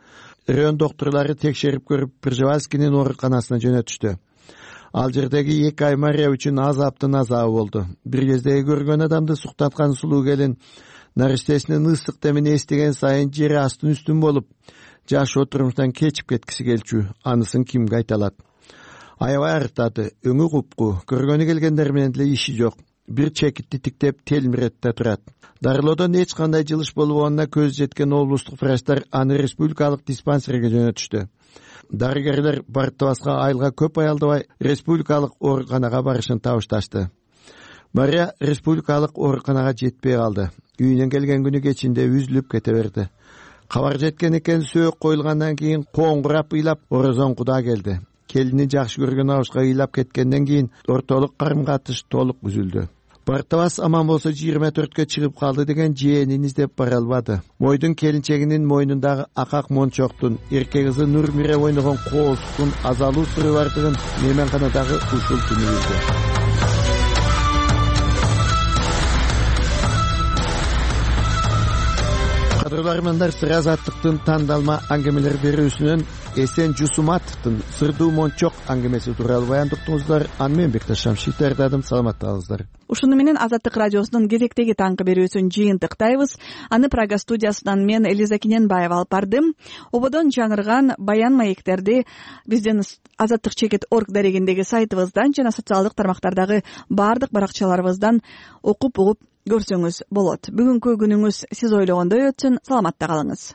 Район доктурлары текшерип көрүп, Пржевальскийнин ооруканасына жөнөтүштү. Ал жердеги эки ай Мария үчүн азаптын азабы болду. Бир кездеги көргөн адамды суктаткан сулуу келин наристесинин ысык демин эстеген сайын жери астын үстүн болуп, жашоо турмуштан кечип кеткиси келчү. Анысын кимге айта алат? Аябай арыктады, өңү купку, көргөнү келгендер менен деле иши жок. Бир чекитти тиктеп телмиретте турат. Дарылоодон эч кандай жылыш болбогонуна көз жеткен облустук врачтар аны республикалык диспансерге жөнөтүштү. Дарыгерлер Бартабаска айылга көп аялдабай республикалык ооруканага барышын табышташты. Мария республикалык ооруканага жетпей калды. Үйүнөн келген күнү кечинде үзүлүп кете берди. Кабар жеткен экен, сөөк коюлгандан кийин коңгурап ыйлап орозон куда келди. Келини жакшы көргөн абышка ыйлап кеткенден кийин ортолук карым катыш толук үзүлдү. Бартабас аман болсо жыйырма төрткө чыгып калды деген жээнин издеп бара албады. Мойдун келинчегинин мойнундагы акак мончоктун, эрке кызы Нурмире ойногон коозуктун азалуу сыры бардыгын мейманканадагы ушул түнү билди. Кадырлармандар, сыр азаттыктын тандалма аңгемелер берүүсүнөн Эсен Жусуматовдун Сырдуу мончок аңгемеси тууралуу баяндыктыңыздар. Аны мен Бекташ Шамшит даярдадым. Саламаттыңыздар. Ушуну менен Азаттык радиосунун кезектеги таңкы берүүсүн жыйынтыктайбыз. Аны Прага студиясынан мен Элиза Кененбаева алып бардым. Ободон жаңырган баян маектерди биздин азаттык чекит точка орг дарегиндеги сайтыбыздан жана социалдык тармактардагы баардык баракчаларыбыздан окуп угуп көрсөңүз болот. Бүгүнкү күнүңүз сиз ойлогондой өтсүн. Саламатта калыңыз.